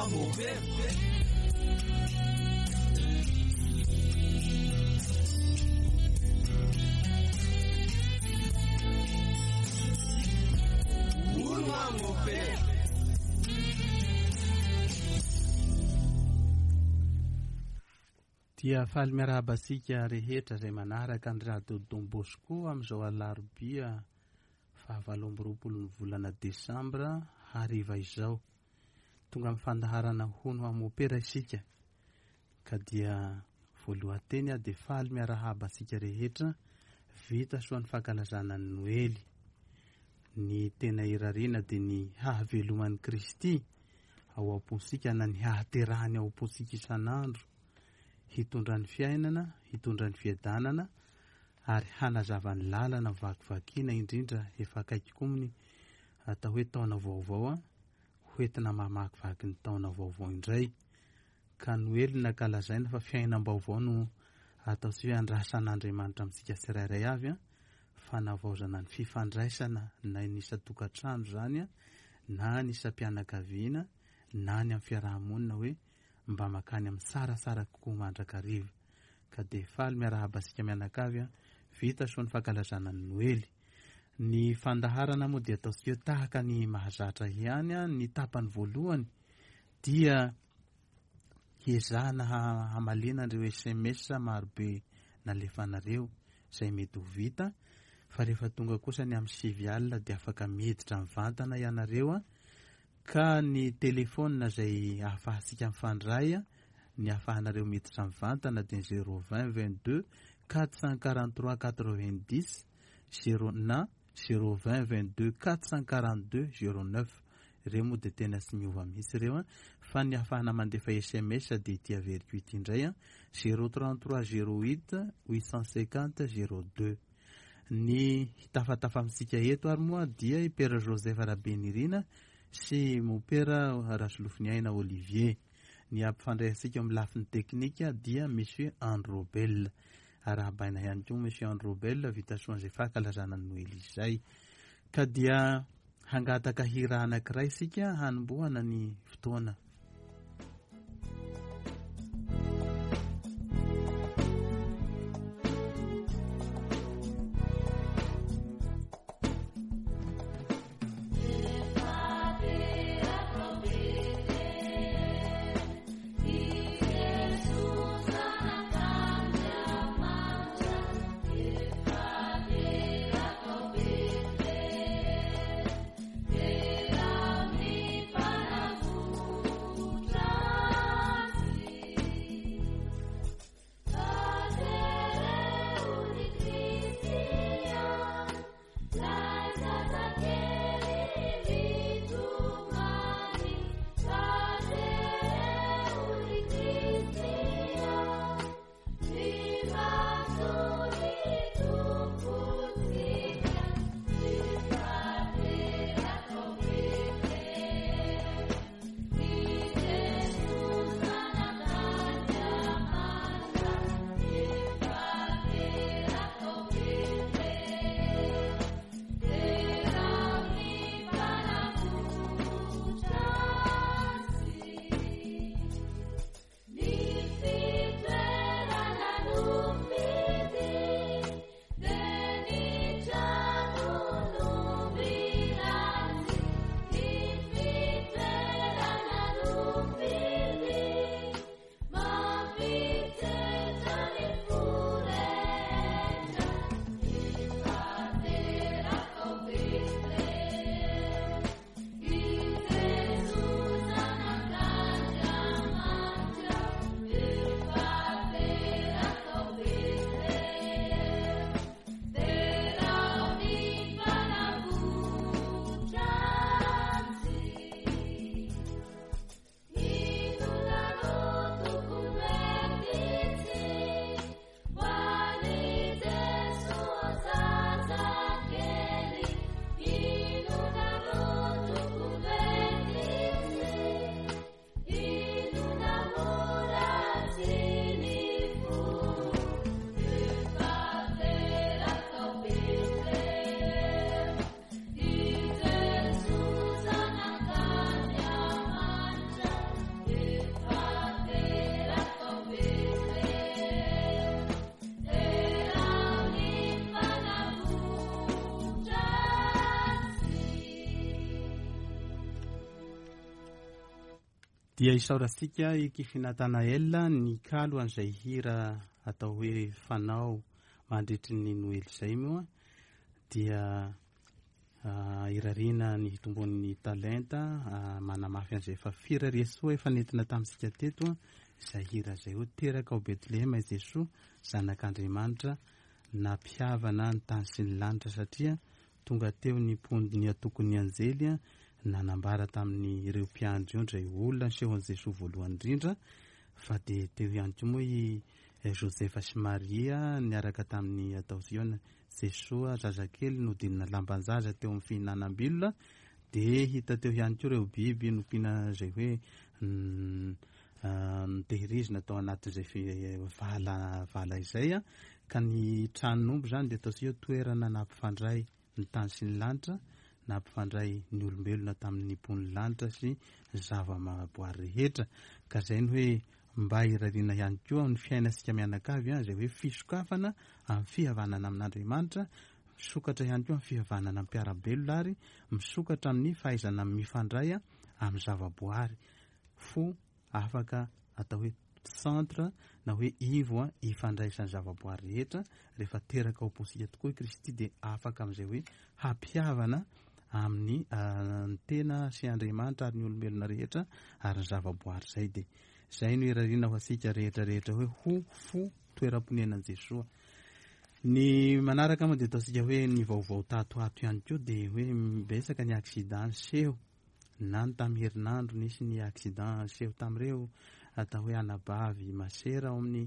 hoa mopera. Hono hoa mopera. Dia faly miarahaba antsika rehetra izay manaraka ny Radio Don Bosco amin'izao alarobia fahavalo amby roapolo ny volana desambra hariva izao. Tonga amin'ny fandaharana hono hoa mopera isika ka dia voalohan-teny aho dia faly miarahaba antsika rehetra vita soa ny fankalazana ny Noely. Ny tena irariana dia ny hahaveloman'i Kristy ao am-pontsika na ny hahaterahany ao am-pontsika isan'andro, hitondra ny fiainana, hitondra ny fiadanana ary hanazava ny lalana vakivakiana indrindra efa akaiky koa ny atao hoe taona vaovao hoentina mamakivaky ny taona vaovao indray. Ka Noely no nankalazaina fa fiainam-baovao no ataontsika hoe andrasan'Andriamanitra amintsika tsirairay avy, fanavaozana ny fifandraisana na ny isan-tokantrano izany na ny isam-pianakaviana na ny amin'ny fiaraha-monina hoe mba makany amin'ny tsaratsara kokoa mandrakariva. Ka dia faly miarahaba antsika mianakavy, vita soa ny fankalazana ny Noely. Ny fandaharana moa dia ataontsika hoe tahaka ny mahazatra ihany, ny tapany voalohany dia hiezahana hamaliana an'ireo sms marobe nalefanareo izay mety ho vita fa rehefa tonga kosa ny amin'ny 9 alina dia afaka miditra mivantana ianareo ka ny telefaonina izay ahafahantsika mifandray ny ahafahanareo miditra mivantana dia 0 20 22 443 90 0 na 0 20 22 442 09. Ireo moa dia tena tsy miova mihitsy ireo fa ny ahafahana mandefa sms dia ity averiko ity indray 0 33 08 850 02. Ny hitafatafa amintsika eto ary moa dia i Père Joseph Rabenirina sy Mopera Rasolofoniaina Olivier. Ny hampifandray antsika amin'ny lafiny teknika dia Monsieur Androbel. Arahabaina ihany koa Monsieur Androbel vita soa an'izay fankalazana ny Noely izay. Ka dia hangataka hira anankiray isika hanombohana ny fotoana. Dia isaorantsika i Kify Nathanael nikalo an'izay hira atao hoe fanao mandritry ny Noely izay moa dia irariana ny hitombon'ny talenta manamafy an'izay efa firariasoa efa nentina tamintsika teto izay hira izay hoe teraka ao Betlehema i Jesoa zanak'Andriamanitra nampihavana ny tany sy ny lanitra satria tonga teo ny mpony atokon'ny anjely nanambara tamin'ireo mpiandry ondry izay olona nisehoan'i Jesoa voalohany indrindra fa dia teo ihany koa moa i Josefa sy Maria niaraka tamin'ny atao Ziona Jesoa zazakely nodinina lamban-jaza teo amin'ny fihinanam-bilona dia hita teo ihany koa ireo biby nompiana izay hoe notehirizina tao anatin'izay vala vala izay ka ny tranon'omby izany dia ataontsika hoe toerana nampifandray ny tany sy ny lanitra, nampifandray ny olombelona tamin'ny mponin'ny lanitra sy ny zava-mahaboary rehetra. Ka izay ny hoe mba irariana ihany koa amin'ny fiainantsika mianakavy, izay hoe fisokafana amin'ny fihavanana amin'Andriamanitra, misokatra ihany koa amin'ny fihavanana amin'ny mpiara-belona ary misokatra amin'ny fahaizana mifandray amin'ny zava-boary. Fo afaka atao hoe centre na hoe ivo ifandraisan'ny zavaboary rehetra. Rehefa teraka ao am-pontsika tokoa i Kristy dia afaka amin'izay hoe hampihavana amin'ny ny tena sy Andriamanitra ary ny olombelona rehetra ary ny zavaboary izay. Dia izay no irariana ho antsika rehetra rehetra hoe ho fo toeram-ponenan'i Jesoa. Ny manaraka moa dia ataontsika hoe ny vaovao tato ato ihany koa dia hoe betsaka ny accident niseho na ny tamin'ny herinandro nisy ny accident niseho tamin'ireo atao hoe anabavy masera ao amin'ny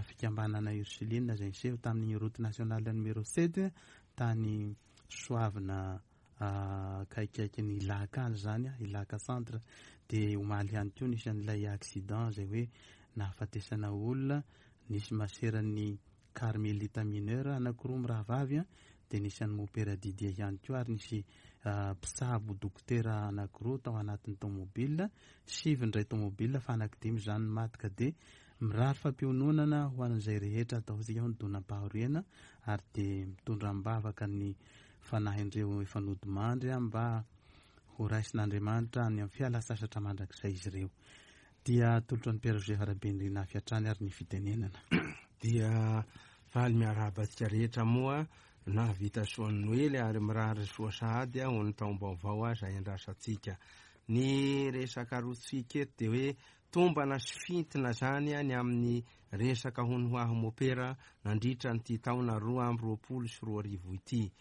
fikambanana Ursuline izay niseho tamin'ny route nationale numéro 7 tany Soavina akaikikaiky ny Ilaka any izany, Ilaka centre. Dia omaly ihany koa nisy an'ilay accident izay hoe nahafatesana olona, nisy maseran'ny Carmelita mineur anankiroa mirahavavy dia nisy an'i Mopera Didier ihany koa ary nisy mpitsabo dokotera anankiroa tao anatin'ny tomobile, sivy indray tomobile fa anankidimy izany ny maty ka dia mirary fampiononana ho an'izay rehetra ataontsika hoe nidonam-pahoriana ary dia mitondra am-bavaka ny fanahin'ireo efa nodimandry mba ho raisin'Andriamanitra any amin'ny fialan-tsasatra mandrakizay izy ireo. Dia atolotro an'i Père Joseph Rabenirina avy hatrany ary ny fitenenana. Dia faly miarahaba antsika rehetra moa nahavita soa ny Noely ary mirary soa sahady ho ny taom-baovao izay andrasantsika. Ny resaka arotsika eto dia hoe tombana sy fintina izany ny amin'ny resaka hono ho ahy mopera nandritra an'ity taona 2022 ity.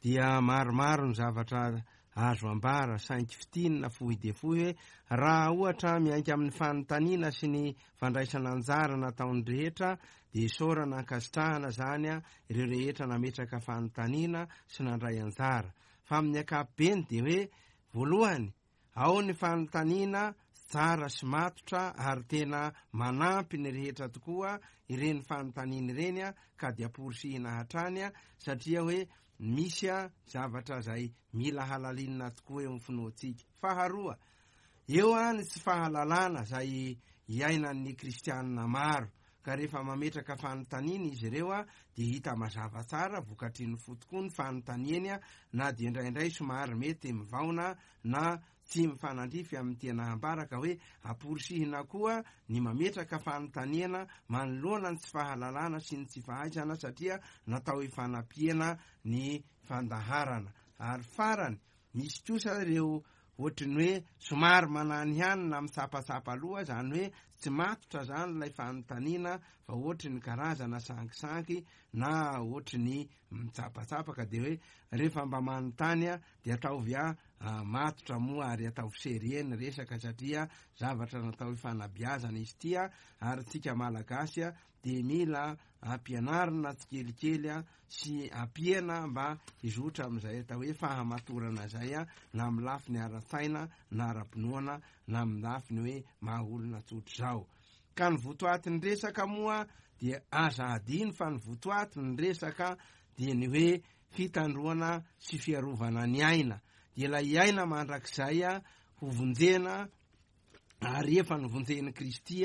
Dia maromaro ny zavatra Azo ambara, saingy fintinina fohy dia fohy hoe raha ohatra miainga amin'ny fanontaniana sy ny fandraisana anjara nataon'ny rehetra dia isaorana ankasitrahana izany ireo rehetra nametraka fanontaniana sy nandray anjara. Fa amin'ny ankapobeny dia hoe voalohany, ao ny fanontaniana tsara sy matotra ary tena manampy ny rehetra tokoa ireny fanontaniana ireny ka dia amporisihina hatrany satria hoe Misy zavatra izay mila halalinina tokoa eo amin'ny finoantsika. Faharoa, eo ny tsy fahalalana izay iainan'ny kristianina maro, ka rehefa mametraka fanontaniana izy ireo dia hita mazava tsara vokatry ny fo tokoa ny fanontaniany na dia indraindray somary mety mivaona na tsy mifanandrify amin'ny tena ambara ka hoe amporisihina koa ny mametraka fanontaniana manoloana ny tsy fahalalana sy ny tsy fahaizana satria natao hifanampiana ny fandaharana. Ary farany, misy kosa ireo ohatry ny hoe somary manany ihany na mitsapatsapa loha, izany hoe tsy matotra izany ilay fanontaniana fa ohatry ny karazana sangisangy na ohatry ny mitsapatsapa ka dia hoe rehefa mba manontany dia ataovy a matotra moa ary ataovy sérieux ny resaka satria zavatra natao hifanabiazana izy ity a, ary tsika malagasy a dia mila ampianarina tsikelikely a sy ampiana mba hizotra amin'izay atao hoe fahamatorana izay a, na amin'ny lafiny ara-tsaina na ara-pinoana na amin'ny lafiny hoe maha olona tsotra izao. Ka ny votoatin'ny resaka moa dia aza adino fa ny votoatin'ny resaka dia ny hoe fitandroana sy fiarovana ny aina, dia ilay aina mandrakizay hovonjena Ary efa novonjen'i Kristy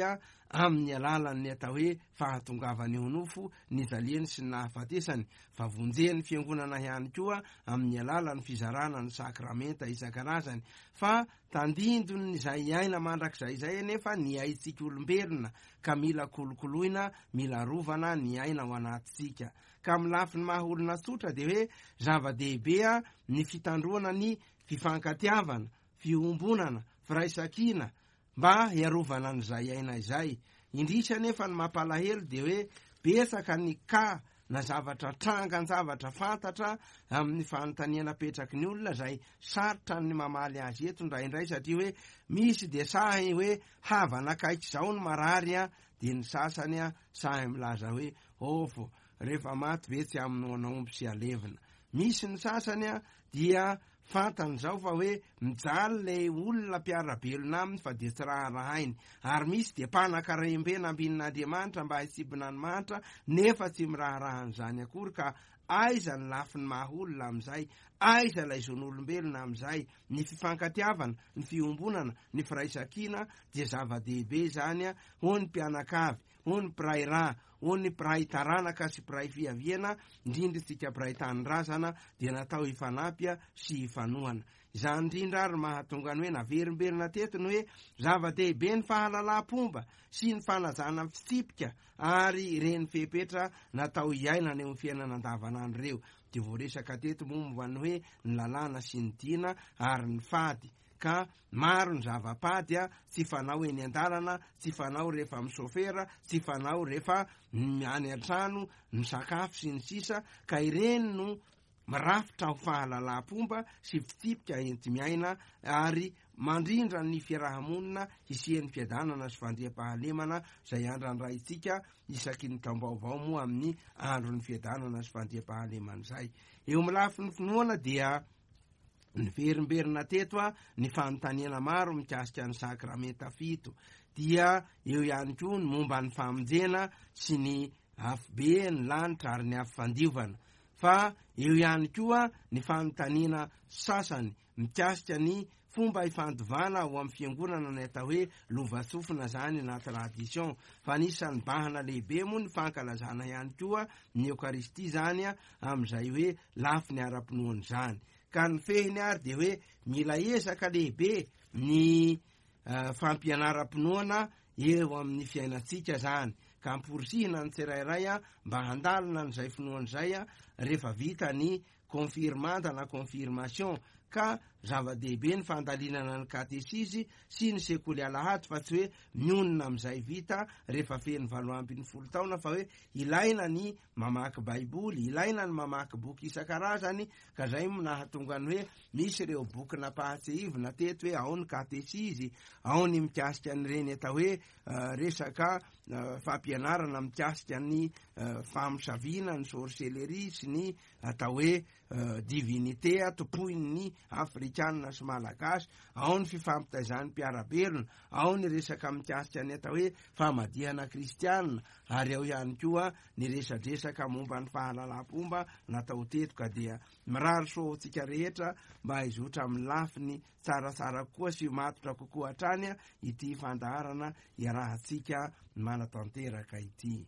amin'ny alalan'ny atao hoe fahatongavany ho nofo, nijaliany sy ny nahafatesany, fa vonjen'ny Fiangonana ihany koa amin'ny alalan'ny fizarana ny sakramenta isan-karazany. Fa tandindon'izay aina mandrakizay izay anefa ny aintsika olombelona, ka mila kolokoloina, mila arovana ny aina ao anatintsika. Ka amin'ny lafiny maha olona tsotra dia hoe zava-dehibe ny fitandroana ny fifankatiavana, fiombonana, firaisankina mba hiarovana an'izay aina izay. Indrisy anefa ny mampalahelo dia hoe betsaka ny cas na zavatra trangan-javatra fantatra amin'ny fanontaniana apetraky ny olona izay sarotra ny mamaly azy eto indraindray satria hoe misy dia sahy hoe havana akaiky izao ny marary dia ny sasany sahy milaza hoe ofo rehefa maty ve tsy hamonoana omby sy halevina. Misy ny sasany dia Fantany izao fa hoe mijaly ilay olona mpiara-belona aminy fa dia tsy raharahainy. Ary misy dia mpanan-karem-be nambinin'Andriamanitra mba hitsibina ny mahantra nefa tsy miraharaha an'izany akory ka aiza ny lafiny maha olona amin'izay? Aiza ilay zon'olombelona amin'izay? Ny fifankatiavana, ny fiombonana, ny firaisankina dia zava-dehibe izany ho ny mpianakavy, ho ny mpiray rà, ho ny mpiray taranaka sy mpiray fiaviana, indrindra isika mpiray tanindrazana, dia natao hifanampy sy hifanohana. Izany indrindra ary mahatonga ny hoe naverimberina teto ny hoe zava-dehibe ny fahalalam-pomba sy ny fanajana ny fitsipika ary ireny fepetra natao hiainana eo amin'ny fiainana andavanandro ireo. Dia voaresaka teto momba ny hoe ny lalàna sy ny dina ary ny fady. ka maro ny zava-pady tsy fanao eny an-dalana, tsy fanao rehefa misôfera, tsy fanao rehefa any an-trano misakafo sy ny sisa ka ireny no mirafitra ho fahalalam-pomba sy fitsipika enti-miaina ary mandrindra ny fiaraha-monina hisian'ny fiadanana sy fandriampahalemana izay andrandraintsika isaky ny taom-baovao moa amin'ny andron'ny fiadanana sy fandriampahalemana izay. Eo amin'ny lafiny finoana dia Niverimberina teto ny fanontaniana maro mikasika ny sakramenta fito. Dia eo ihany koa ny momba ny famonjena sy ny afobe, ny lanitra ary ny afo fandiovana. Fa eo ihany koa ny fanontaniana sasany mikasika ny fomba ifandovana ao amin'ny fiangonana ny atao hoe lovantsofina izany na tradition. Fa anisan'ny bahana lehibe moa ny fankalazana ihany koa ny Eokaristia izany amin'izay hoe lafiny ara-pinoana izany. Ka ny fehiny ary dia hoe mila ezaka lehibe ny fampianaram-pinoana eo amin'ny fiainantsika izany, ka amporisihina ny tsirairay mba handalina an'izay finoana izay rehefa vita ny confirmanda na confirmation, ka zava-dehibe ny fandalinana ny katesizy sy ny sekoly alahady fa tsy hoe mionona amin'izay vita rehefa feno 18 taona fa hoe ilaina ny mamaky baiboly, ilaina ny mamaky boky isan-karazany ka zay no nahatonga ny hoe misy ireo boky nampahatsiahivina teto hoe ao ny katesizy, ao ny mikasika an'ireny atao hoe resaka fampianarana mikasika ny famosaviana, ny sorcellerie sy ny atao hoe divinité tompoin'ny afrikanina sy malagasy, ao ny fifampitaizan'ny mpiara-belona, ao ny resaka mikasika ny atao hoe famadihana kristianina ary ao ihany koa ny resadresaka momba ny fahalalam-pomba natao teto ka dia mirary soa ho antsika rehetra mba hizotra amin'ny lafiny tsaratsara kokoa sy matotra kokoa hatrany ity fandaharana iarahantsika manatanteraka ity.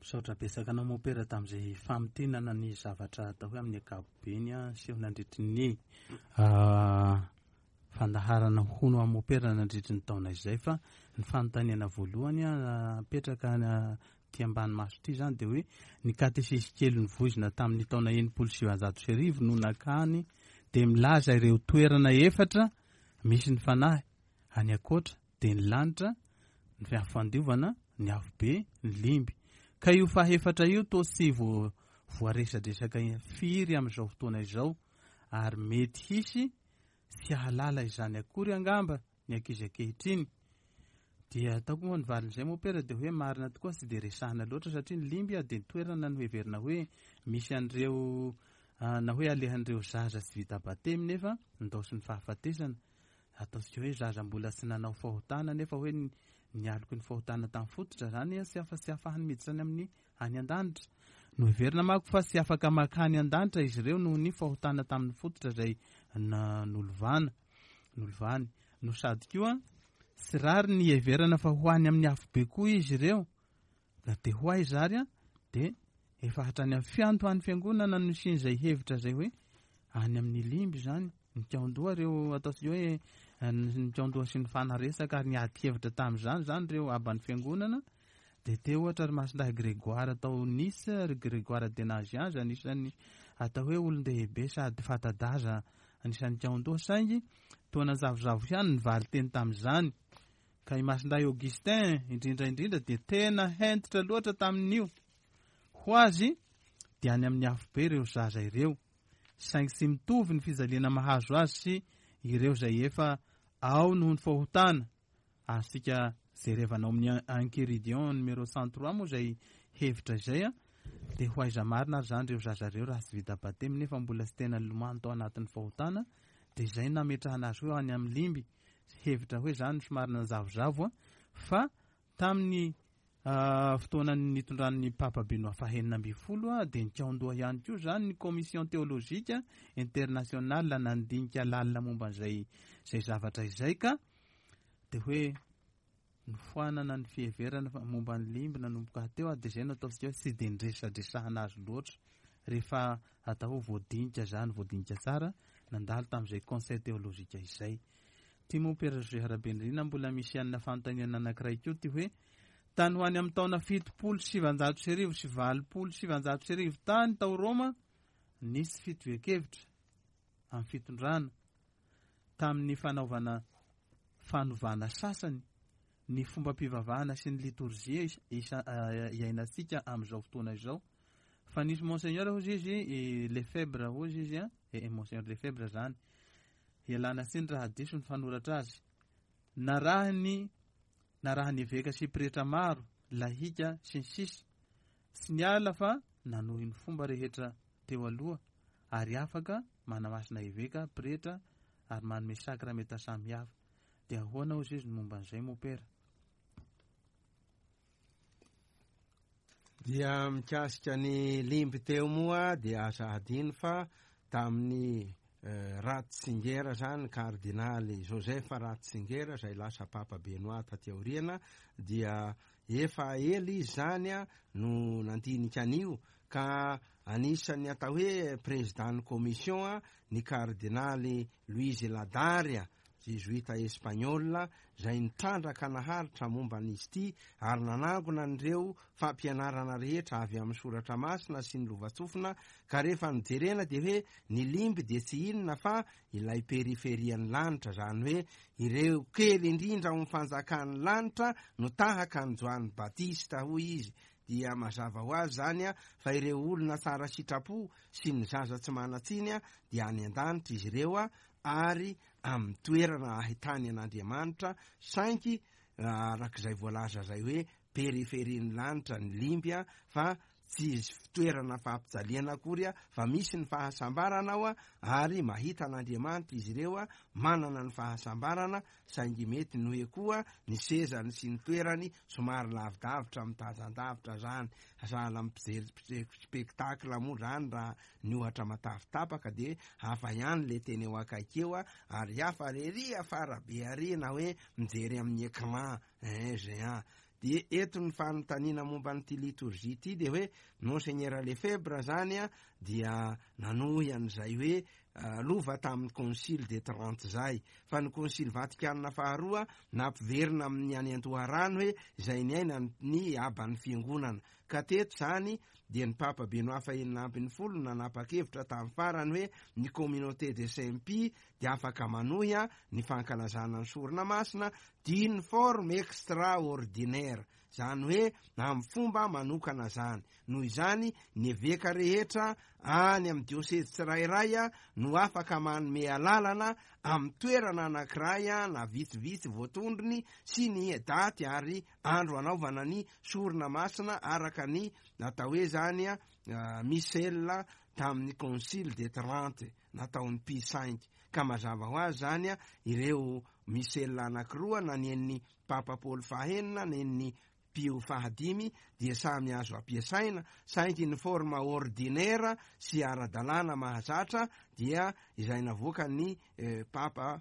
Misaotra betsaka anao Mompera tamin'izay famintinana ny zavatra atao hoe amin'ny ankapobeny seho nandritry ny fandaharana hono aho Mompera nandritry ny taona izay fa ny fanontaniana voalohany apetraka aty ambany maso ity izany dia hoe ny katesizy kely novoizina tamin'ny taona 1960 no nakany dia milaza ireo toerana efatra misy ny fanahy any ankoatra dia ny lanitra, ny afo fandiovana, ny afobe, ny limby. Ka io fahefatra io toa tsy voaresadresaka firy amin'izao fotoana izao ary mety hisy tsy hahalala izany akory angamba ny ankizy ankehitriny. Dia ataoko moa ny valin'izay mopera dia hoe marina tokoa tsy dia resahina loatra satria ny limby dia ny toerana noheverina hoe misy an'ireo na hoe alehan'ireo zaza tsy vita batemy nefa nindaosin'ny fahafatesana. Ataontsika hoe zaza mbola tsy nanao fahotana nefa hoe nialoky ny fahotana tamin'ny fototra izany tsy afa tsy afahany miditra any amin'ny any an-danitra. Noheverina manko fa tsy afaka makany an-danitra izy ireo noho ny fahotana tamin'ny fototra izay nolovana, nolovany. No sady koa. Tsy rariny ny hiheverana fa ho any amin'ny afobe koa izy ireo. Na dia ho aiza ary dia efa hatrany amin'ny fiandohan'ny fiangonana no nisian'izay hevitra izay hoe any amin'ny limby izany. Nikaondoha ireo ataontsika hoe nikaondoha sy nifanaresaka ary niady hevitra tamin'izany izany ireo aban'ny fiangonana. Dia teo ohatra ry Masindahy Grégoire tao Nice, ry Grégoire de Nazianze anisan'ny atao hoe olon-dehibe sady fanta-daza anisan'ny nikaondoha saingy toa nanjavozavo ihany ny valin-teny tamin'izany. Ka i Masindahy Augustin indrindra indrindra dia tena hentitra loatra tamin'io. Ho azy dia any amin'ny afobe ireo zaza ireo. Saingy tsy mitovy ny fijaliana mahazo azy sy ireo izay efa ao noho ny fahotana. Azontsika jerevana ao amin'ny Enchiridion numéro 103 moa izay hevitra izay. Dia ho aiza marina ary izany ireo zaza ireo raha tsy vita batemy nefa mbola tsy tena nilomano tao anatin'ny fahotana. Dia izay no nametrahana azy hoe any amin'ny limby. Hevitra hoe izany somary nanjavozavo fa tamin'ny fotoana nitondran'ny Papa Benoît fahenina ambin'ny folo dia nikaondoha ihany koa izany ny Commission théologique internationale nandinika lalina momba an'izay izay zavatra izay ka dia hoe nofoanana ny fiheverana fa momba ny limby nanomboka teo dia izay no ataontsika hoe tsy dia niresadresahana azy loatra rehefa atao hoe voadinika izany, voadinika tsara nandalo tamin'izay conseil théologique izay. Ty moa Père José Rabenirina mbola misy anona fanontaniana anankiray koa ty hoe tany ho any amin'ny taona 1970 sy 1980 tany tao Roma nisy fitovian-kevitra amin'ny fitondrana tamin'ny fanaovana fanovana sasany ny fombam-pivavahana sy ny litorjia iainantsika amin'izao fotoana izao. Fa nisy Monseigneur hozy izy, Lefebvre hozy izy, Monseigneur Lefebvre zany, ialana tsiny raha diso ny fanoratra azy, narahiny narahan'ny eveka sy pretra maro, lahika sy ny sisa, tsy niala fa nanohy ny fomba rehetra teo aloha ary afaka manamasina eveka, pretra ary manome sakramenta samihafa. Dia ahoana hozy izy ny momba an'izay mopera? Dia mikasika ny limby teo moa dia aza hadino fa tamin'ny Ratzinger zany, kardinaly Joseph Ratzinger izay lasa Papa Benoît taty aoriana dia efa ela izy zany no nandinika an'io ka anisan'ny atao hoe président-n'ny commission ny kardinaly Luis Ladaria Zezoita Espaniola izay nitrandraka naharitra momba an'izy ity ary nanangona an'ireo fampianarana rehetra avy amin'ny Soratra Masina sy ny lovantsofina ka rehefa nojerena dia hoe ny limby dia tsy inona fa ilay periferian'ny lanitra, izany hoe ireo kely indrindra ao amin'ny fanjakan'ny lanitra no tahaka an'i Joany Batista, hoy izy. Dia mazava ho azy izany fa ireo olona tsara sitrapo sy ny zaza tsy manan-tsiny dia any an-danitra izy ireo ary amin'ny toerana ahitany an'Andriamanitra, saingy arak'izay voalaza izay hoe periferian'ny lanitra ny limby fa tsy fitoerana fampijaliana akory fa misy ny fahasambarana ao ary mahita an'Andriamanitra izy ireo manana ny fahasambarana, saingy mety ny hoe koa ny sezany sy ny toerany somary lavidavitra mitazan-davitra zany, sahala amin'ny mpijery spectacle moa zany raha ny ohatra matavy tapaka dia hafa ihany le teny eo akaiky eo ary hafa rery afara be ary na hoe mijery amin'ny écran géant. Dia eto ny fanontaniana momba an'ity liturgie ity dia hoe Monseigneur Lefebvre zany dia nanohy an'izay hoe lova tamin'ny Concile de Trente zay, fa ny Concile Vatikana faharoa nampiverina amin'ny any an-doharano hoe izay niaina ny aban'ny fiangonana. Ka teto izany dia ny Papa Benoît fahenina ambin'ny folo no nanapa-kevitra tamin'ny farany hoe ny Communauté de Saint Pie dia afaka manohy ny fankalazana ny sorona masina d'une forme extraordinaire, izany hoe amin'ny fomba manokana izany. Noho izany, ny eveka rehetra any amin'ny diosezy tsirairay no afaka manome alalana amin'ny toerana anankiray na vitsivitsy voatondrony sy ny daty ary andro hanaovana ny sorona masina araka ny natao hoe zany Missel tamin'ny Concile de Trente nataon'i Pie cinq. Ka mazava ho azy zany ireo Missel anankiroa na ny an'ny Papa Paoly fahenina na ny Pio fahadimy dia samy azo ampiasaina, saingy ny forme ordinaire sy ara-dalàna mahazatra dia izay navoakan'ny Papa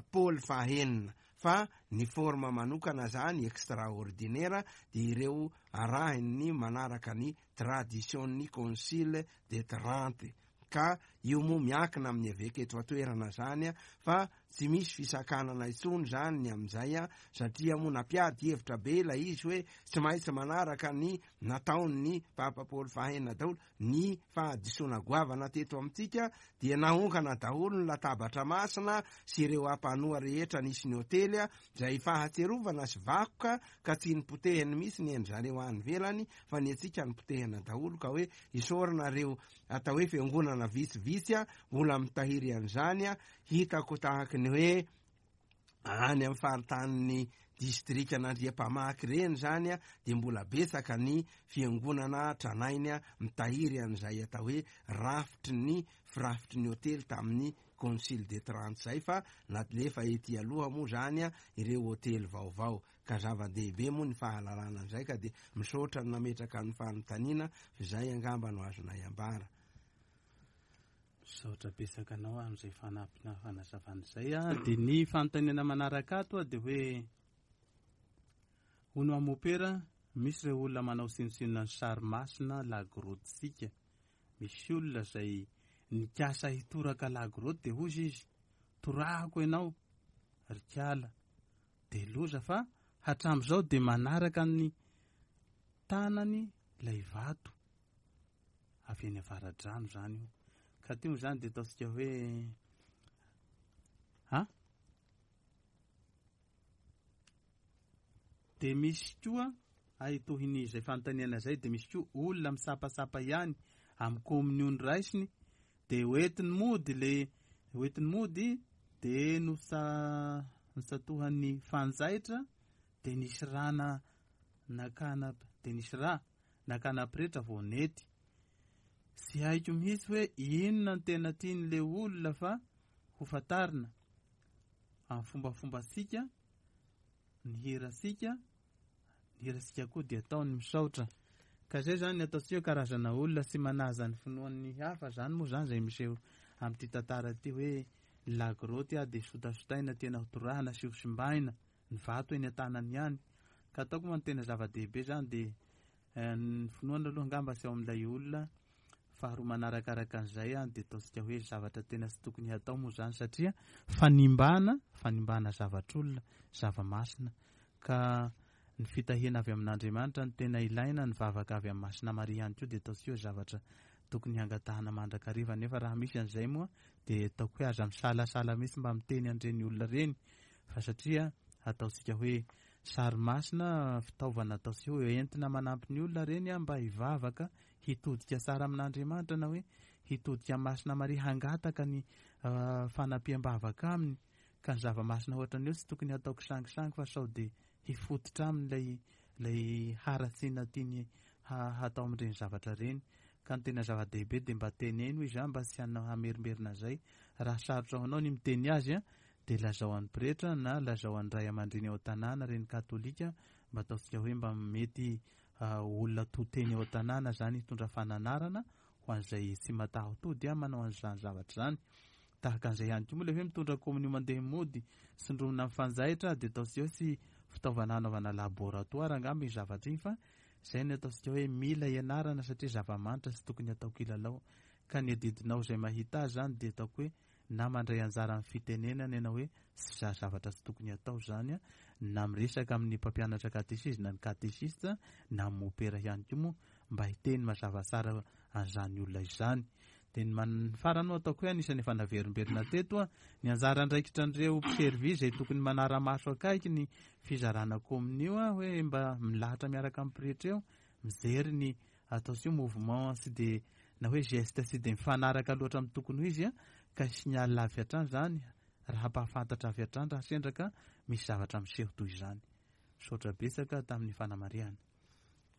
Paoly fahenina. Fa ny forme manokana zany extraordinaire dia ireo arahin'ny manaraka ny tradition-n'ny Concile de Trente. Ka io moa miankina amin'ny eveka eto an-toerana zany fa tsy misy fisakanana intsony zany ny amin'izay satria moa nampiady hevitra be ilay izy hoe tsy maintsy manaraka ny nataon'ny Papa Paoly fahenina daholo. Ny fahadisoana goavana teto amintsika dia naongana daholo ny latabatra masina sy ireo ampanoa rehetra nisy ny hotely izay fahatsiarovana sy vakoka ka tsy nipotehiny mihitsy ny an-dry zareo any ivelany fa ny antsika nipotehina daholo ka hoe isaorana ireo atao hoe fiangonana vitsivitsy mbola mitahiry an'izany. Hitako tahaky ny hoe any amin'ny faritanin'ny distrikan'Andriampamaky ireny izany dia mbola betsaka ny fiangonana tranainy mitahiry an'izay atao hoe rafitry ny firafitry ny hotely tamin'ny Concile de Trente izay fa nalefa ety aloha moa izany ireo hotely vaovao ka zava-dehibe moa ny fahalalana an'izay ka dia misaotra ny nametraka ny fanontaniana fa izay angamba no azonay ambara. Misaotra betsaka anao amin'izay fanampina fanazavana izay a. Dia ny fanontaniana manaraka ato dia hoe hono mopera, misy ireo olona manao tsinontsinona ny sary masina lagrotsika. Misy olona izay nikasa hitoraka lagroty dia hozy izy, torahako ianao ry kala. Dia loza fa hatramin'izao dia manaraka ny tanany ilay vato. Avy eny avaradrano izany io. Ka teo izany dia ataontsika hoe ha? Dia misy koa ay tohin'ny izay fanontaniana izay dia misy koa olona misapasapa ihany amin'ny kominiony raisiny dia hoentiny mody le hoentiny mody dia nosa nosatohan'ny fanjaitra dia nisy rana nakana dia nisy ra nakana pretra vao nety. Tsy haiko mihitsy hoe inona no tena tian'le olona fa ho fantarina amin'ny fombafombantsika, ny hirantsika, ny hirantsika koa dia atao ny misaotra. Ka zay zany ny ataontsika hoe karazana olona tsy manaja ny finoan'ny hafa zany moa zany zay miseho amin'ity tantara ity hoe lagroty dia sotasotaina tena ho torahana sy ho simbaina ny vato eny an-tanany ihany. Ka ataoko moa ny tena zava-dehibe zany dia ny finoana aloha angamba tsy ao amin'ilay olona. Faharoa manarakaraka an'izay dia ataontsika hoe zavatra tena tsy tokony hatao moa zany satria fanimbana, fanimbana zavatr'olona, zava-masina. Ka ny fitahiana avy amin'Andriamanitra no tena ilaina, ny vavaka avy amin'ny Masina Maria ihany koa dia ataontsika hoe zavatra tokony hangatahana mandrakariva. Nefa raha misy an'izay moa dia ataoko hoe aza misalasala mihitsy mba miteny an'ireny olona ireny fa satria ataontsika hoe sary masina, fitaovana ataontsika hoe entina manampy ny olona ireny mba hivavaka, hitodika tsara amin'Andriamanitra na hoe hitodika amin'ny Masina Maria hangataka ny fanampiam-bavaka aminy. Ka ny zava-masina ohatran'io tsy tokony hatao kisangisangy fa sao dia hifototra aminy ilay ilay haratsiana tiany hatao amin'ireny zavatra ireny. Ka ny tena zava-dehibe dia mba teneno izy mba tsy hamerimberina an'izay. Raha sarotra ho anao ny miteny azy dia lazao an'ny pretra na lazao an'ny ray aman-dreny ao an-tanàna, reny katolika, mba ataontsika hoe mba mety olona to teny ao an-tanàna izany hitondra fananarana ho an'izay tsy mataho-tody manao an'izany zavatra izany. Tahaka an'izay ihany koa moa ilay hoe mitondra kominio mandeha mody, tsindromina amin'ny fanjaitra dia ataontsika hoe tsy fitaovana hanaovana laboratoire angamba iny zavatra iny fa izay no ataontsika hoe mila ianarana satria zava-manitra tsy tokony hatao kilalao. Ka ny adidinao izay mahita azy izany dia ataoko hoe na mandray anjara amin'ny fitenenana ianao hoe tsy za zavatra tsy tokony hatao izany na miresaka amin'ny mpampianatra katesizy na ny katesista na ny mopera ihany koa moa mba hiteny mazava tsara an'izany olona izany. Dia ny man- farany moa ataoko hoe anisan'ny efa naverimberina teto a, ny anjara andraikitra an'ireo mpiservy izay tokony manara-maso akaiky ny fizarana kominio a, hoe mba milahatra miaraka amin'ny pretra eo, mijery ny ataontsika hoe mouvement tsy dia na hoe geste tsy dia mifanaraka loatra amin'ny tokony ho izy a, ka signal avy hatrany izany raha hampahafantatra avy hatrany raha sendra ka misy zavatra miseho toy izany. Misaotra betsaka tamin'ny fanamarihana.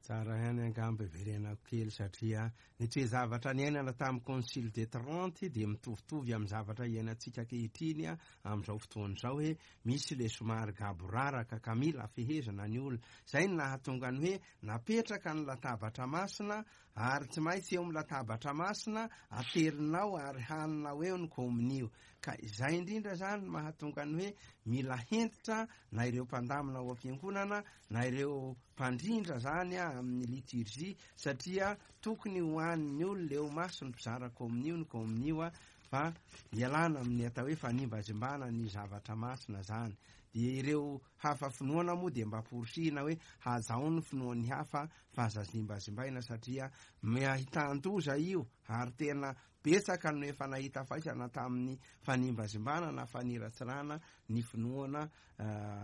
Tsara ihany angamba iverenako kely satria ny toe-javatra niainana tamin'ny Concile de Trente dia mitovitovy amin'ny zavatra iainantsika ankehitriny amin'izao fotoana izao hoe misy le somary gaboraraka ka mila fehezana ny olona. Izay no nahatonga ny hoe napetraka ny latabatra masina ary tsy maintsy eo amin'ny latabatra masina aterinao ary haninao eo ny komonio. Ka izay indrindra izany no mahatonga ny hoe mila hentitra na ireo mpandamina ao am-piangonana na ireo mpandrindra izany amin'ny liturgie satria tokony ho an'ny olona eo mason'ny mpizara komonio ny komonio fa ialana amin'ny atao hoe fanimbazimbana ny zavatra masina izany. Dia ireo hafa finoana moa dia mba porisihina hoe hajao ny finoan'ny hafa fa aza zimbazimbaina satria ahitan-doza io ary tena betsaka no efa nahita faisana tamin'ny fanimbazimbana na faniratsirana ny finoana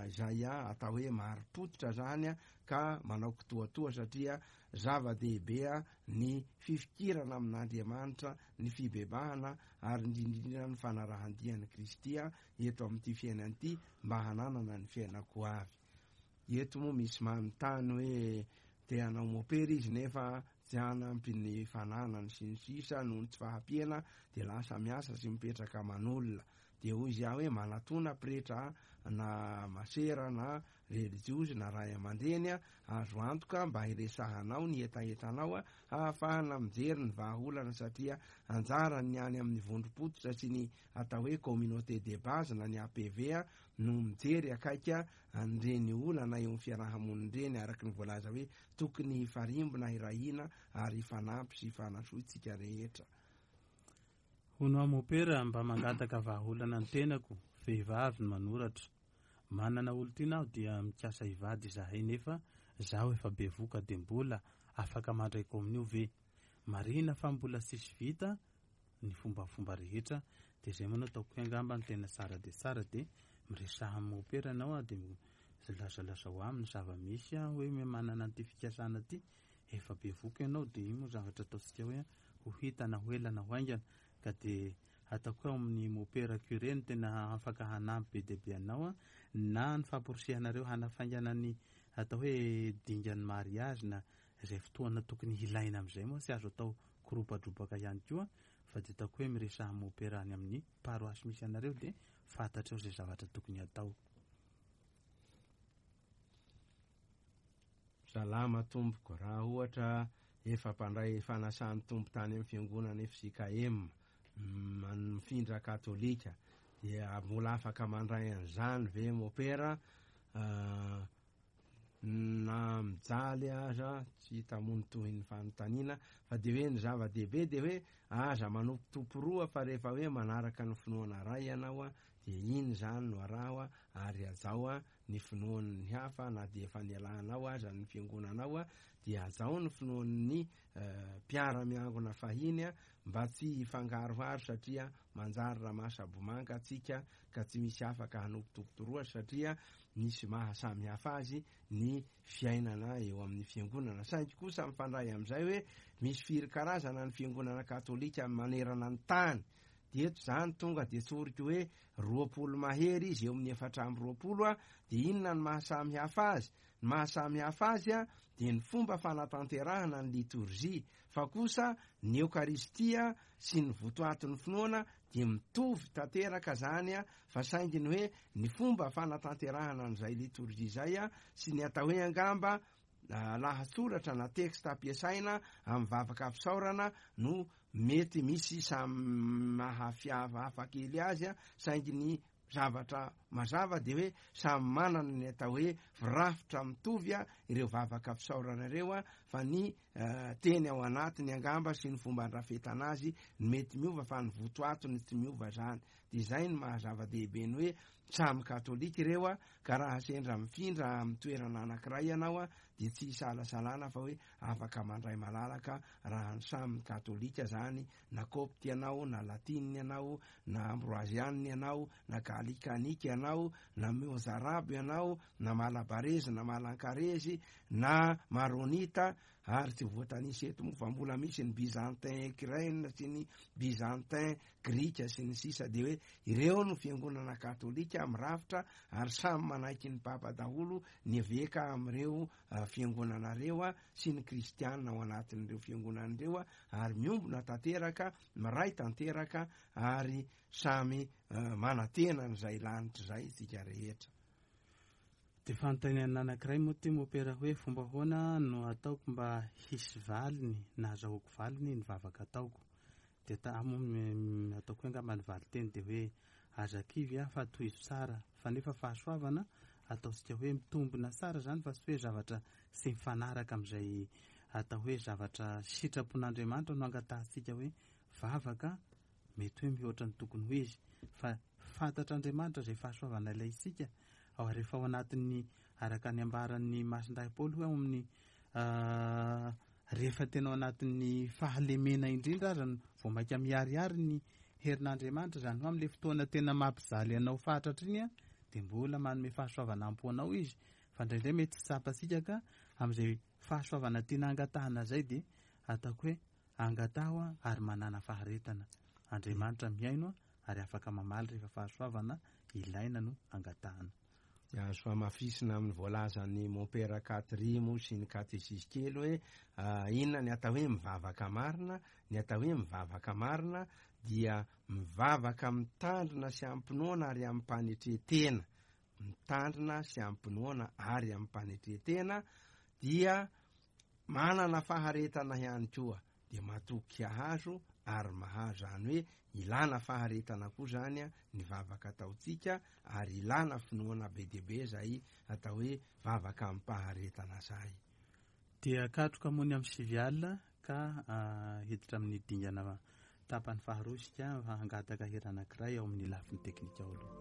izay atao hoe marim-pototra izany ka manao kitoatoa satria zava-dehibe ny fifikirana amin'Andriamanitra, ny fibebahana ary indrindra ny fanarahan-dia an'i Kristy eto amin'ity fiainana ity mba hananana ny fiainako avy. Eto moa misy manontany hoe te hanao mopera izy nefa tsy hanampy ny fananany sy ny sisa noho ny tsy fahampiana dia lasa miasa sy mipetraka aman'olona. Dia hoy izy aho hoe manatona pretra na masera na relijiozy na ray aman-dreny azo antoka mba hiresahanao ny hetahetanao hahafahana mijery ny vahaolana satria anjaran'ny any amin'ny vondrom-pototra sy ny atao hoe communauté de base na ny APV no mijery akaiky an'ireny olana eo amin'ny fiaraha-monina ireny araka ny voalaza hoe tokony hifarimbona hirahina ary hifanampy sy hifanasoa isika rehetra. Hono aho mopera mba mangataka vahaolana ny tenako, vehivavy no manoratra. Manana olon-tiana aho dia mikasa hivady izahay nefa zaho efa bevoka dia mbola afaka mandray kominio ve? Marihina fa mbola tsisy vita ny fombafomba rehetra dia izay moa no ataoko hoe angamba ny tena tsara dia tsara dia miresaha amin'ny mopera ianao dia lazalazao aminy ny zava-misy hoe manana an'ity fikasana ity efa bevoka ianao dia io moa zavatra ataontsika hoe ho hita na ho ela na ho haingana ka dia ataoko hoe ao amin'ny mopera curé no tena afaka hanampy be dia be anao na ny famporisihanareo hanafaingana ny atao hoe dingan'ny mariage na izay fotoana tokony hilaina amin'izay moa tsy azo atao koropadrobaka ihany koa fa dia ataoko hoe miresaha mopera any amin'ny paroasy misy anareo dia fantatreo izay zavatra tokony hatao. Salama tompoko, raha ohatra efa mpandray fanasan'ny Tompo tany amin'ny fiangonana FJKM, mifindra katolika, dia mbola afaka mandray an'izany ve mopera? Na mijaly aza, tsy hita moa ny tohin'ny fanontaniana, fa dia hoe ny zava-dehibe dia hoe aza manompo tompo roa fa rehefa hoe manaraka ny finoana iray ianao dia iny izany no araho ary hajao ny finoan'ny hafa na dia efa nialanao aza ny fiangonanao dia hajao ny finoan'ny mpiara-miangona fahiny mba tsy hifangaroharo satria manjary ramasabomanga atsika ka tsy misy afaka hanompotompotoroa satria misy maha samy hafa azy ny fiainana eo amin'ny fiangonana. Saingy kosa mifandray amin'izay hoe misy firy karazana ny fiangonana katolika manerana ny tany. Dia eto izany tonga dia tsoriko hoe 20 mahery izy eo amin'ny 24 dia inona ny maha samy hafa azy? Ny maha samy hafa azy dia ny fomba fanatanterahana ny litorjia, fa kosa ny eokaristia sy ny votoatin'ny finoana dia mitovy tanteraka izany fa saingy ny hoe ny fomba fanatanterahana an'izay litorjia izay sy ny atao hoe angamba lahatsoratra na texte ampiasaina amin'ny vavaka fisaorana no mety misy samy mahafiavahafa kely azy saingy ny zavatra mazava dia hoe samy manana ny atao hoe firafitra mitovy ireo vavaka fisaorana ireo fa ny teny ao anatiny angamba sy ny fomba andrafetana azy ny mety miova fa ny votoatony tsy miova izany. Dia izay no maha zava-dehibe ny hoe samy katolika ireo ka raha sendra mifindra amin'ny toerana anankiray ianao dia tsy isalasalana fa hoe afaka mandray malalaka raha ny samy katolika izany, na kopty ianao, na latinina ianao, na ambroazianina ianao, na galikanika ianao, na mozarabo ianao, na malabarezy, na malankarezy, na maronita. Ary tsy voatanisa eto moa fa mbola misy ny byzantin ukraine sy ny byzantin grika sy ny sisa. Dia hoe ireo no fiangonana katolika mirafitra, ary samy manaiky ny papa daholo ny eveka amin'ireo fiangonana ireo sy ny kristiana ao anatin'ireo fiangonana ireo, ary miombona tanteraka, miray tanteraka, ary samy manantena an'izay lanitra izay isika rehetra. Dia fanontaniana anankiray moa ity mopera hoe fomba ahoana no ataoko mba hisy valiny na azahoako valiny ny vavaka ataoko. Dia ta moa ataoko hoe angamba ny valinteny dia hoe aza kivy aho fa tohizo tsara, fa nefa fahasoavana ataontsika hoe mitombina tsara izany fa tsy hoe zavatra tsy mifanaraka amin'izay atao hoe zavatra sitrapon'Andriamanitra no angatahantsika hoe vavaka mety hoe mihoatra ny tokony ho izy, fa fantatr'Andriamanitra izay fahasoavana ilaintsika ao rehefa ao anatin'ny araka ny ambaran'ny Masindahy Paoly hoe ao amin'ny rehefa tena ao anatin'ny fahalemena indrindra aza no vao mainka miharihary ny herin'Andriamanitra, izany hoe amin'ilay fotoana tena mampijaly anao fatratra iny dia mbola manome fahasoavana ampo anao izy, fa indraindray mety tsy tsapantsika ka amin'izay fahasoavana tiana angatahana izay dia ataoko hoe angataho ary manàna faharetana. Andriamanitra mihaino ary afaka mamaly rehefa fahasoavana ilaina no angatahana. Dia azo hamafisina amin'ny voalazan'ny Mompera Katri moa sy ny katesisy kely hoe inona ny atao hoe mivavaka marina? Ny atao hoe mivavaka marina dia mivavaka mitandrina sy amim-pinoana ary amim-panetren-tena. Mitandrina sy amim-pinoana ary amim-panetren-tena dia manana faharetana ihany koa, dia matoky hahazo ary mahazo. Izany hoe ilana faharetana koa izany ny vavaka ataontsika, ary ilana finoana be dia be izay atao hoe vavaka amim-paharetana izay. Dia katroka moa ny amin'ny sivy alina ka hiditra amin'ny dingana tapany faharoa isika fa hangataka hira anankiray ao amin'ny lafiny teknika ao aloha.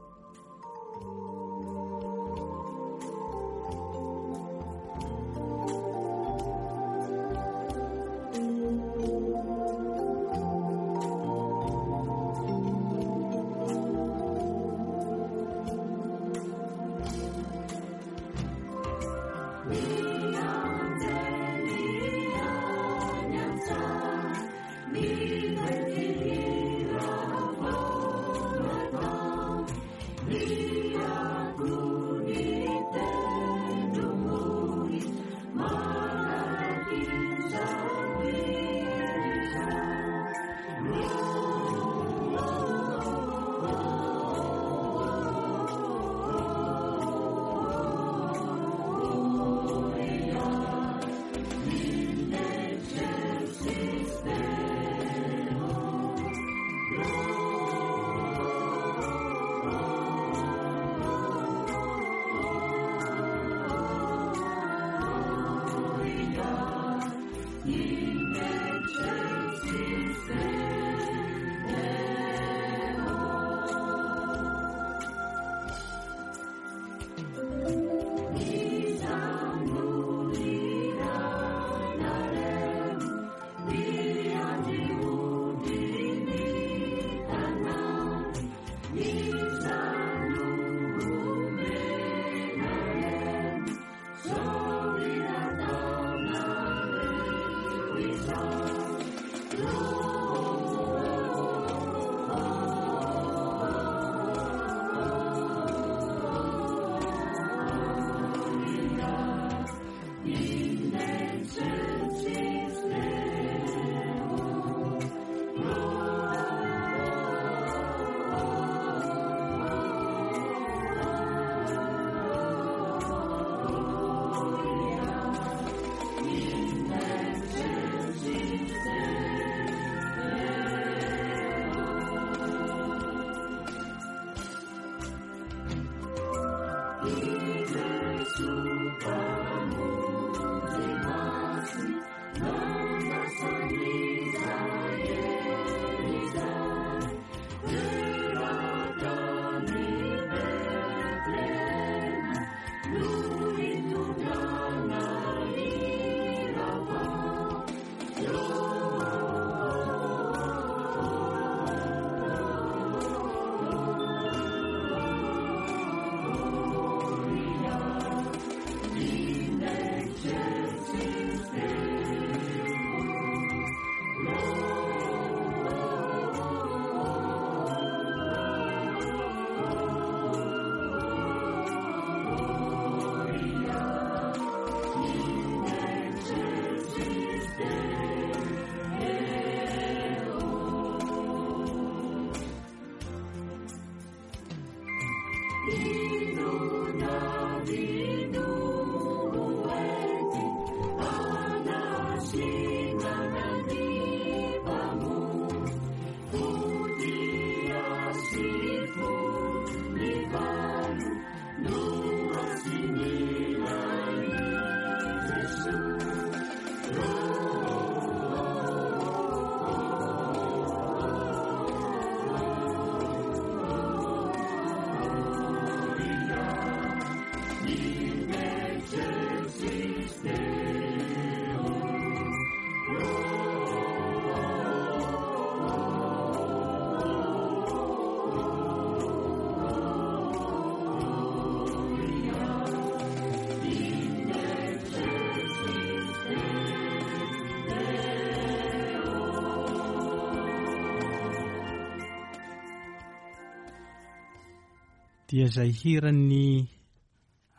Dia izay hiran'ny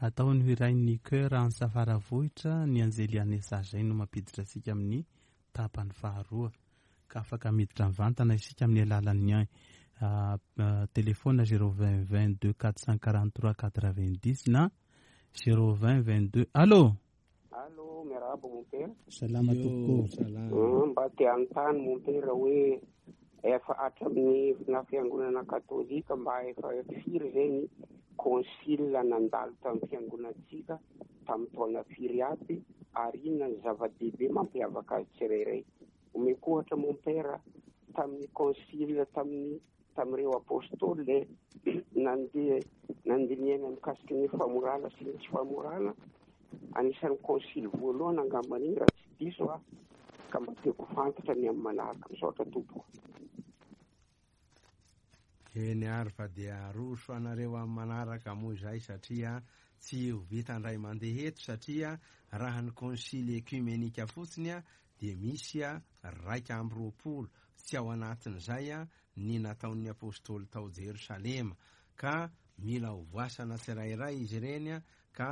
ataony ho hirain'ny chœur Antsafaravohitra ny Anjely Anesa izay no mampiditra antsika amin'ny tapany faharoa ka afaka miditra mivantana isika amin'ny alalan'ny téléphone 020 22 443 90 na 020 22. Allô? Allô, miarahaba mon père. Salama tompoko. Salama. Mba te hanontany mon père hoe efa hatramin'ny na fiangonana katolika mba efa firy zay ny concile nandalo tamin'ny fiangonantsika tamin'ny taona firy aby ary inona ny zava-dehibe mampiavaka azy tsirairay. Omeko ohatra mon père tamin'ny concile tamin'ny tamin'ireo apôstôly nandeha nandinihana mikasiky ny famorana sy ny tsy famorana, anisan'ny concile voalohany angambany iny raha tsy diso aho, ka mba tiako fantatra ny amin'ny manaraka. Misaotra tompoko. Eny ary fa dia aroso anareo amin'ny manaraka moa izay satria tsy ho vita indray mandeha eto satria raha ny concile œcuménique fotsiny dia misy 21, tsy ao anatin'izay ny nataon'ny apôstôly tao Jerosalema, ka mila ho voasana tsirairay izy ireny ka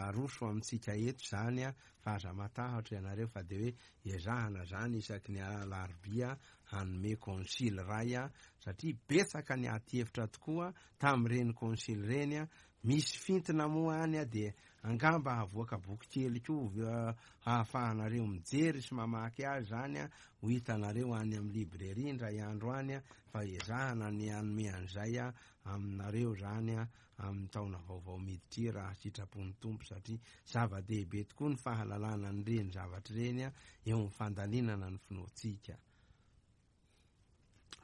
aroso amintsika eto zany fa aza matahotra ianareo fa dia hoe ezahana zany isaky ny alarobia hanome concile ray satria betsaka ny ady hevitra tokoa tamin'ireny concile ireny. Misy fintina moa any dia angamba havoaka boky kely koa ahafahanareo mijery sy mamaky azy zany ho hitanareo any amin'ny librairie indray andro any fa ezahana ny hanome an'izay aminareo zany amin'ny taona vaovao miditra raha sitrapon'ny Tompo satria zava-dehibe tokoa ny fahalalana an'ireny zavatra ireny eo amin'ny fandalinana ny finoantsika.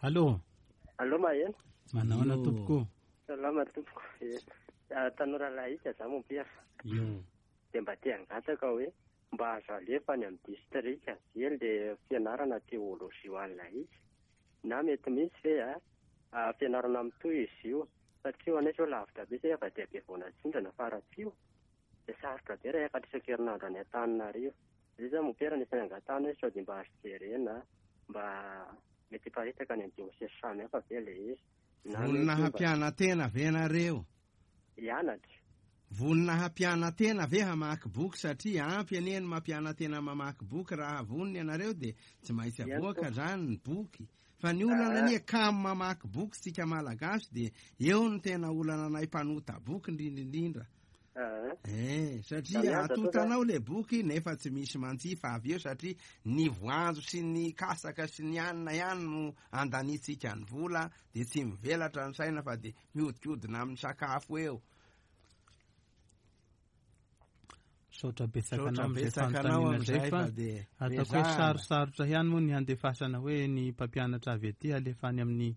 Allô? Allô maheno? Manahoana tompoko? Salama tompoko. Tanora laika za mon père. Io. Dia mba te hangataka hoe mba azo alefa any amin'ny distrika ve le fianarana teolojia ho an'ny laika? Na mety mihitsy ve fianarana mitohy izy io? Satria ho anay zao lavitra be zay efa dia be vao natsindrana fa raha tsy io dia sarotra be raha hiakatra isan-kerinandro any Antananarivo. Zay zany mon père anisan'ny angatahana hoe sao dia mba azo jerena mba mety hiparitaka any amin'ny diocèse samy hafa ve le izy? Vonona hampiana-tena ve nareo? Hianatra. Vonona hampiana-tena ve hamaky boky satria ampy anie ny mampiana-tena mamaky boky raha vonona ianareo dia tsy maintsy avoaka zany ny boky. Fa ny olana anie kamo mamaky boky tsika malagasy dia eo ny tena olana anay mpanota boky indrindra indrindra. Satria atotanao le boky nefa tsy misy manjifa avy eo satria ny voanjo sy ny kasaka sy ny hanina ihany no andanitsika ny vola dia tsy mivelatra ny saina fa dia miodikodina amin'ny sakafo eo. Misaotra betsaka anao amin'izay fanontaniana izay fa ataoko hoe sarosarotra ihany moa ny handefasana hoe ny mpampianatra avy aty alefa any amin'ny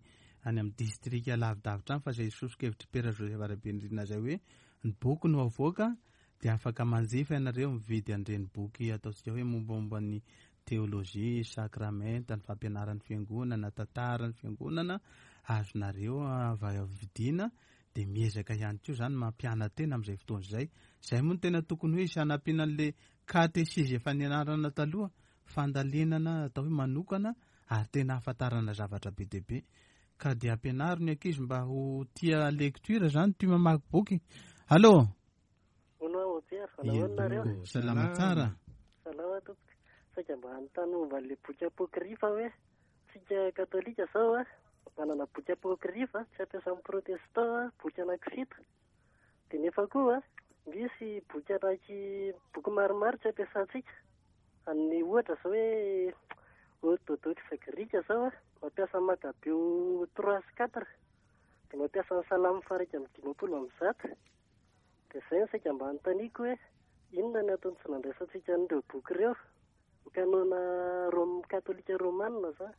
any amin'ny distrika lavidavitra any fa izay soso-kevitry Père Joseph Rabenirina izay hoe ny boky no avoaka dia afaka manjifa ianareo mividy an'ireny boky ataontsika hoe mombamomba ny teolojia, sakramenta, ny fampianaran'ny fiangonana, tantaran'ny fiangonana azonareo vidiana dia miezaka ihany koa zany mampiana-tena amin'izay fotoana izay. Izay moa no tena tokony hoe hisy hanampiana an'ilay katesizy efa nianarana taloha, fandalinana atao hoe manokana ary tena ahafantarana zavatra be dia be. Ka dia ampianaro ny ankizy mba ho tia lecture zany, tia mamaky boky. Allô? Hono aho Pierre, nahoana nareo? Salama tsara. Salama tompoko. Saika mba hanontany momba an'ilay boky apokrifa hoe tsika katolika zao a manana boky apokrifa tsy ampiasan'ny protestant boky anankifito. Dia nefa koa misy boky anaky boky maromaro tsy ampiasantsika. Ny ohatra zao hoe orthodoxe grika zao mampiasa Makabeo 3 sy 4 dia mampiasa ny Salamo faha 151. Dia izay no saika mba anontaniako hoe inona ny antony tsy nandraisantsika an'ireo boky ireo? Ny kanona rom katolika romanina izany.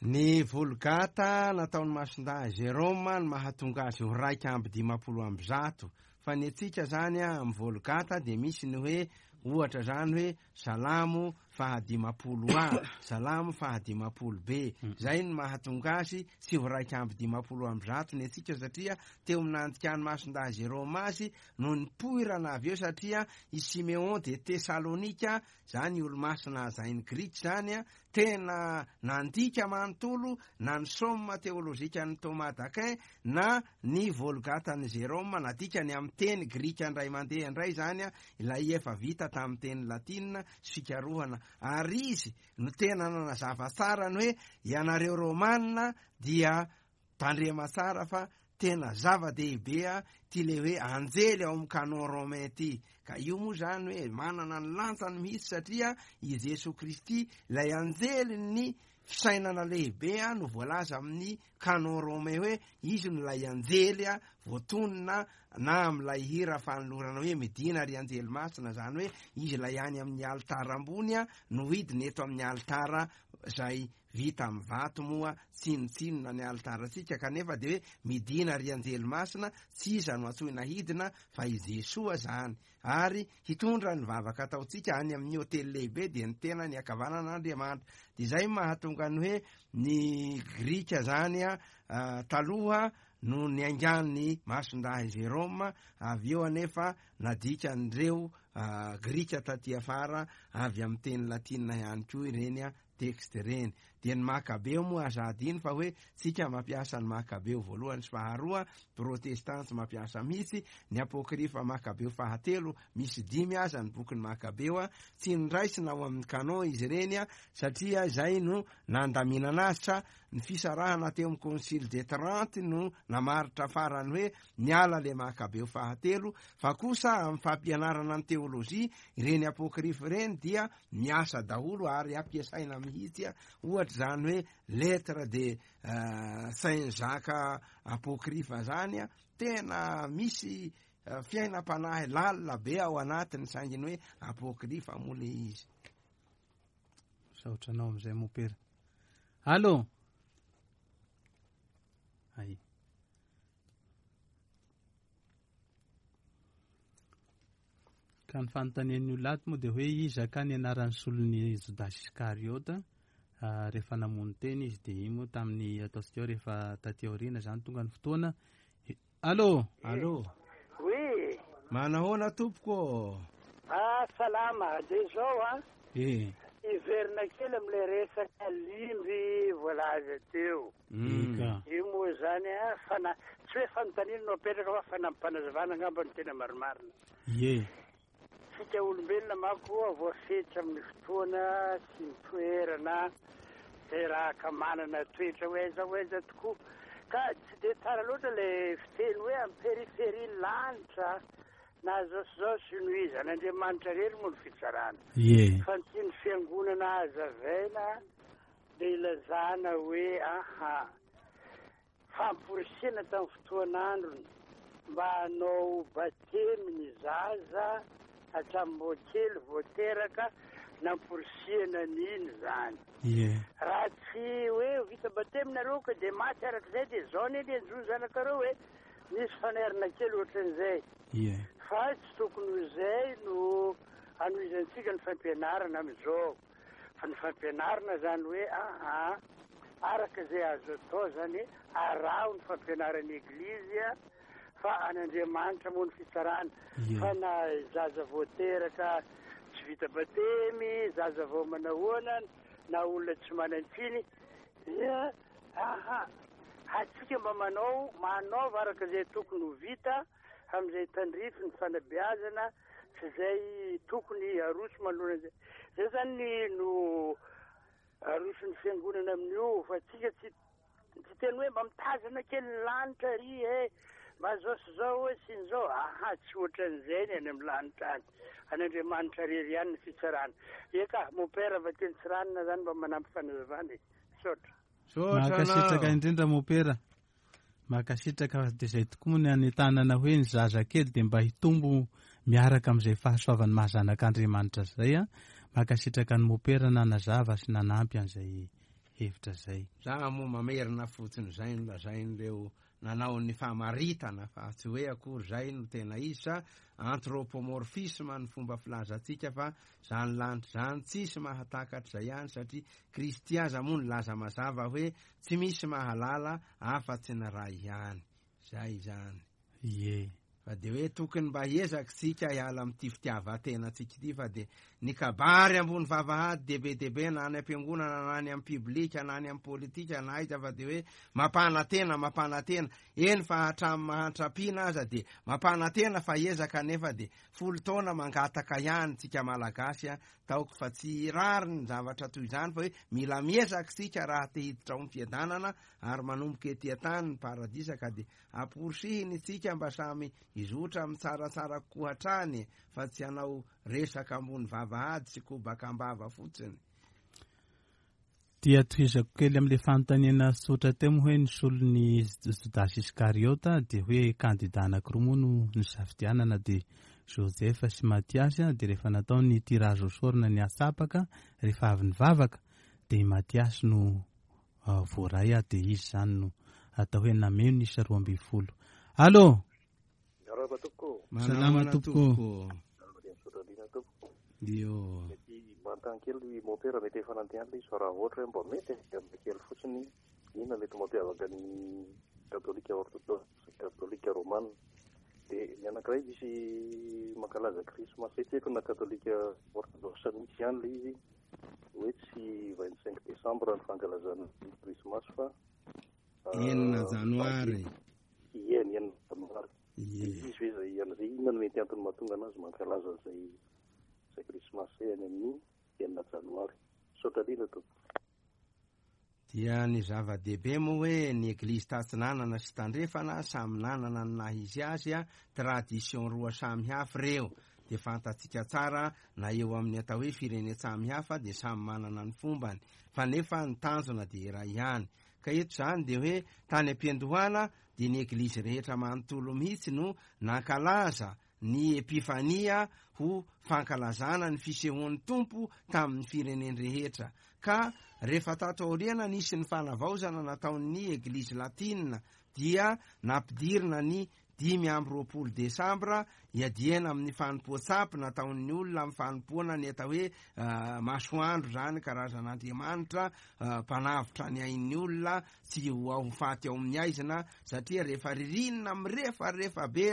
Ny Vulgata nataon'i Masindahy Jérôme no mahatonga azy ho 151. Fa ny antsika izany amin'ny Vulgata dia misy ny hoe ohatra izany hoe Salamo faha-50 A, Salamo faha-50 B. Izay no mahatonga azy tsy ho 151 ny antsika satria teo amin'ny nandikan'i Masindahy Jérôme azy no nipoirana avy eo satria i Siméon de Thessalonika, izany olo-masina hajain'ny Grika izany, tena nandika manontolo na ny Somme teolojikan'i Thomas d'Aquin na ny Volgatan'i Jérôme, nadikany amin'ny teny grika indray mandeha indray izany ilay efa vita tamin'ny teny latina sy fikarohana, ary izy no tena nanazava tsara ny hoe ianareo Romana dia tandrema tsara fa tena zava-dehibe ity le hoe anjely ao amin'ny canon romain ity, ka io moa izany hoe manana ny lanjany mihitsy satria i Jesoa Kristy ilay anjelin'ny fisainana lehibe no voalaza amin'ny canon romain hoe izy no ilay anjely voatonona na amin'ilay hira fanolorana hoe midina ry anjely masina, izany hoe izy ilay any amin'ny alitara ambony no hidina eto amin'ny alitara izay vita amin'ny vato moa tsinontsinona ny alitarantsika, kanefa dia hoe midina ry anjely masina, tsy iza no antsoina hidina fa i Jesoa izany, ary hitondra ny vavaka ataontsika any amin'ny hotely lehibe dia ny tenany ankavanan'Andriamanitra. Dia izay mahatonga ny hoe ny Grika izany taloha no niaingan'ny Masindahy Jérôme, avy eo anefa nadikan'ireo Grika taty afara avy amin'ny teny latina ihany koa ireny texte ireny. Dia ny Makabeo moa aza adino fa hoe tsika mampiasa ny Makabeo voalohany sy faharoa, protestant tsy mampiasa mihitsy, ny apokrifa Makabeo fahatelo, misy dimy aza ny bokin'ny Makabeo, tsy noraisina ao amin'ny canon izy ireny satria izay no nandaminana azy sa ny fisarahana teo amin'ny concile de Trente no namaritra farany hoe niala le Makabeo fahatelo, fa kosa amin'ny fampianarana ny teolojia ireny apokrifa ireny dia miasa daholo ary ampiasaina mihitsy ohatra izany hoe lettre de Saint Jacques apocryphe zany tena misy fiainam-panahy lalina be ao anatiny saingy ny hoe apocryphe moa le izy. Misaotra anao amin'izay mopera. Allo. Ay. Ka ny fanontanian'ny olona ato moa dia hoe iza ka ny anaran'ny solon'i Jodasy Iskariota rehefa namono tena izy dia iny moa tamin'ny ataontsika hoe rehefa taty aoriana izany tonga ny fotoana. Allô? Allô? Oui. Manahoana tompoko ô? Ah, salama. Dia izao an. Eh. Hiverina kely amin'ilay resaka limby voalaza teo. Eka. Io moa izany an, fana, tsy hoe fanontaniana no apetraka fa fanampanazavana angamba no tena marimarina. Ie. Tsika olombelona manko voafetra amin'ny fotoana sy ny toerana izay raha ka manana toetra ho aiza ho aiza tokoa. Ka tsy dia tsara loatra ilay fiteny hoe amin'ny périphérie lanitra na zao sy zao sy noho izy. An'Andriamanitra irery moa ny fitsarana. Ie. Fa ny tian'ny fiangonana hazavaina dia ilazana hoe aha. Famporisihana tamin'ny fotoan'androny mba hanao batemy ny zaza hatramin'ny mbô kely vao teraka, namporisihana an'iny izany. Ie. Raha tsy hoe vita batemy nareo ka dia maty arak'izay dia izao anie ny hanjo ny zanakareo e! Misy fanairana kely ohatran'izay. Ie. Fa tsy tokony ho izay no hanohizantsika ny fampianarana amin'izao. Fa ny fampianarana zany hoe aa araka izay azo atao zany araho ny fampianaran'ny eglizy fa an'Andriamanitra moa ny fitsarana fa na zaza vao teraka tsy vita batemy, zaza vao manahoana na olona tsy manan-tsiny dia aha atsika mba manao manaova araka izay tokony ho vita amin'izay tandrify ny fanabeazana sy izay tokony aroso manoloana izay. Izay zany no aroson'ny fiangonana amin'io fa tsika tsy tsy teny hoe mba mitazana kely ny lanitra ry e mba zao sy zao hoe sy ny zao aha tsy ohatran'izay ny any amin'ny lanitra any any Andriamanitra rery ihany ny fitsarana eka mon père va teny Tsiranana zany mba manampy fanazavana e misaotra Misaotra Mankasitraka anao. indrindra mopera. Mankasitraka fa dia izay tokoa moa ny hanentanana hoe ny zazakely dia mba hitombo miaraka amin'izay fahasoavan'ny maha zanak'Andriamanitra izay a. Mankasitraka an'i Mopera nanazava sy nanampy an'izay hevitra izay. Za moa mamerina fotsiny izay nolazain'ireo nanao ny famaritana fa tsy hoe akory izay no tena izy sa anthropomorphisme ny fomba filazantsika fa zany lanitra zany tsisy mahatakatra izay ihany satria Kristy aza moa nilaza mazava hoe tsy misy mahalala afa-tsy ny Ray ihany. Zay izany. Ie. Fa dia hoe tokony mba hiezaka isika hiala amin'ity fitiavan-tenantsika ity fa dia ny kabary ambony vavahady dia be dia be na any am-piangonana na any amin'ny publika na any amin'ny politika na aiza fa dia hoe mampanantena mampanantena eny fa hatramin'ny mahantra ampiana aza dia mampanantena fa hiezaka nefa dia folo taona mangataka ihany tsika Malagasy a taoko fa tsy rariny ny zavatra toy izany fa hoe mila miezaka isika raha te hiditra ao amin'ny fiadanana ary manomboka ety an-tany ny paradisa ka dia Amporisihina isika mba samy hizotra amin'ny tsaratsara kokoa hatrany fa tsy hanao resaka ambony vavahady sy kobaka am-bava fotsiny. Dia tohizako kely amin'ilay fanontaniana tsotra teo moa hoe ny solon'i Jodasy Iskariota dia hoe kandida anankiroa moa no nisafidianana dia Joseph sy Matiasy dia rehefa natao ny tirage au sort na ny atsapaka rehefa avy nivavaka dia i Matiasy no voaray aho dia izy izany no atao hoe nameno ny isa 12. Allô! Miarahaba tompoko. Salama tompoko. Miarahaba dia misaotra indrindra tompoko. Io. Mety manontany kely mompera mety efa nandeha any ilay izy fa raha ohatra hoe mba mety dia mba kely fotsiny inona mety mampiavaka ny katolika orthodoxe sy katolika romana. Dia ny anankiray misy mankalaza krismasy tsy haiko na katolika orthodoxe mihitsy ihany ilay izy hoe tsy 25 décembre ny fankalazana ny krismasy fa 6 janoary. Ie, ny 6 janoary. Ie. Izy ve izay an'izay inona no mety antony mahatonga anazy mankalaza an'izay izay krismasy izay any amin'ny 6 janoary. Misaotra indrindra tompoko. Dia ny zava-dehibe moa hoe ny Eglizy tatsinanana sy tandrefana samy nanana ny naha izy azy, tradition roa samy hafa ireo, dia fantatsika tsara na eo amin'ny atao hoe firenen-tsamy hafa dia samy manana ny fombany, fa nefa ny tanjona dia iray ihany. Ka eto izany dia hoe tany am-piandohana dia ny Eglizy rehetra manontolo mihitsy no nankalaza ny Epifania ho fankalazana ny fisehoan'ny Tompo tamin'ny firenen-drehetra. Ka rehefa tato aoriana nisy ny fanavaozana nataon'ny Eglizy Latina dia nampidirina ny 25 desambra iadiana amin'ny fanompoan-tsampy nataon'ny olona amin'ny fanompoana ny atao hoe masoandro izany karazan'andriamanitra mpanavotra ny ain'ny olona tsy ho ao faty ao amin'ny aizina satria rehefa ririnina mirefarefa be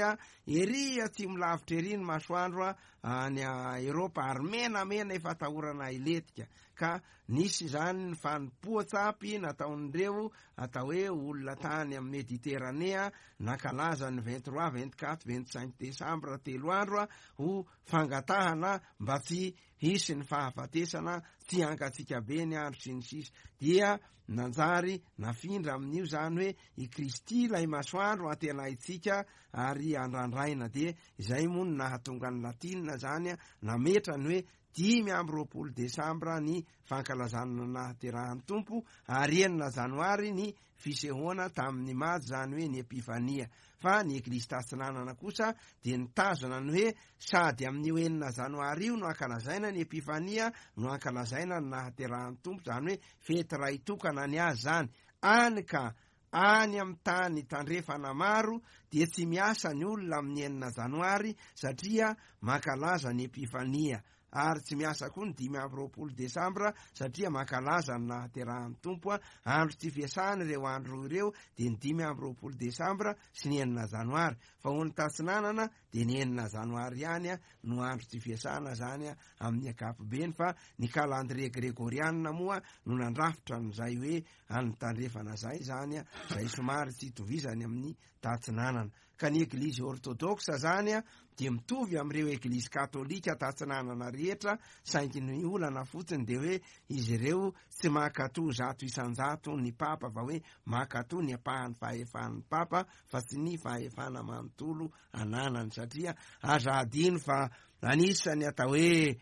ery atsimo lavitra ery ny masoandro any Eropa ary menamena efa atahorana hilentika ka nisy izany ny fanompoan-tsampy nataon'ireo atao hoe olona tany amin'ny Mediteranea nankalaza ny 23, 24, 25 desambra telo andro ho fangatahana mba tsy hisy ny fahafatesana, tsy hangatsiaka be ny andro sy ny sisa dia nanjary nafindra amin'io izany hoe i Kristy ilay masoandro antenaintsika ary andrandraina dia izay moa no nahatonga ny latinina izany nametra ny hoe 25 desambra ny fankalazana ny nahaterahan'ny Tompo ary 6 janoary ny fisehoana tamin'ny Majy izany hoe ny Epifania fa ny Eglizy Tatsinanana kosa dia nitazona ny hoe sady amin'io 6 janoary io no ankalazaina ny Epifania no ankalazaina ny nahaterahan'ny Tompo izany hoe fety iray tokana ny azy izany any ka any amin'ny tany tandrefana maro dia tsy miasa ny olona amin'ny 6 janoary satria mankalaza ny Epifania ary tsy miasa koa ny 25 desambra satria mankalaza ny nahaterahan'ny Tompo, andro tsy fiasana ireo andro ireo dia ny 25 desambra sy ny 6 janoary, fa ho an'ny tatsinanana dia ny 6 janoary ihany no andro tsy fiasana izany amin'ny ankapobeny fa ny calendrier gregoriana moa no nandrafitra an'izay hoe an'ny tandrefana izay izany, izay somary tsy itovizany amin'ny tatsinanana. Ka ny Eglizy Ortodoksa izany dia mitovy amin'ireo Eglizy Katolika tatsinanana rehetra, saingy ny olana fotsiny dia hoe izy ireo tsy mankatò 100% ny Papa, fa hoe mankatò ny ampahan'ny fahefan'ny Papa fa tsy ny fahefana manontolo ananany, satria aza adino fa anisan'ny atao hoe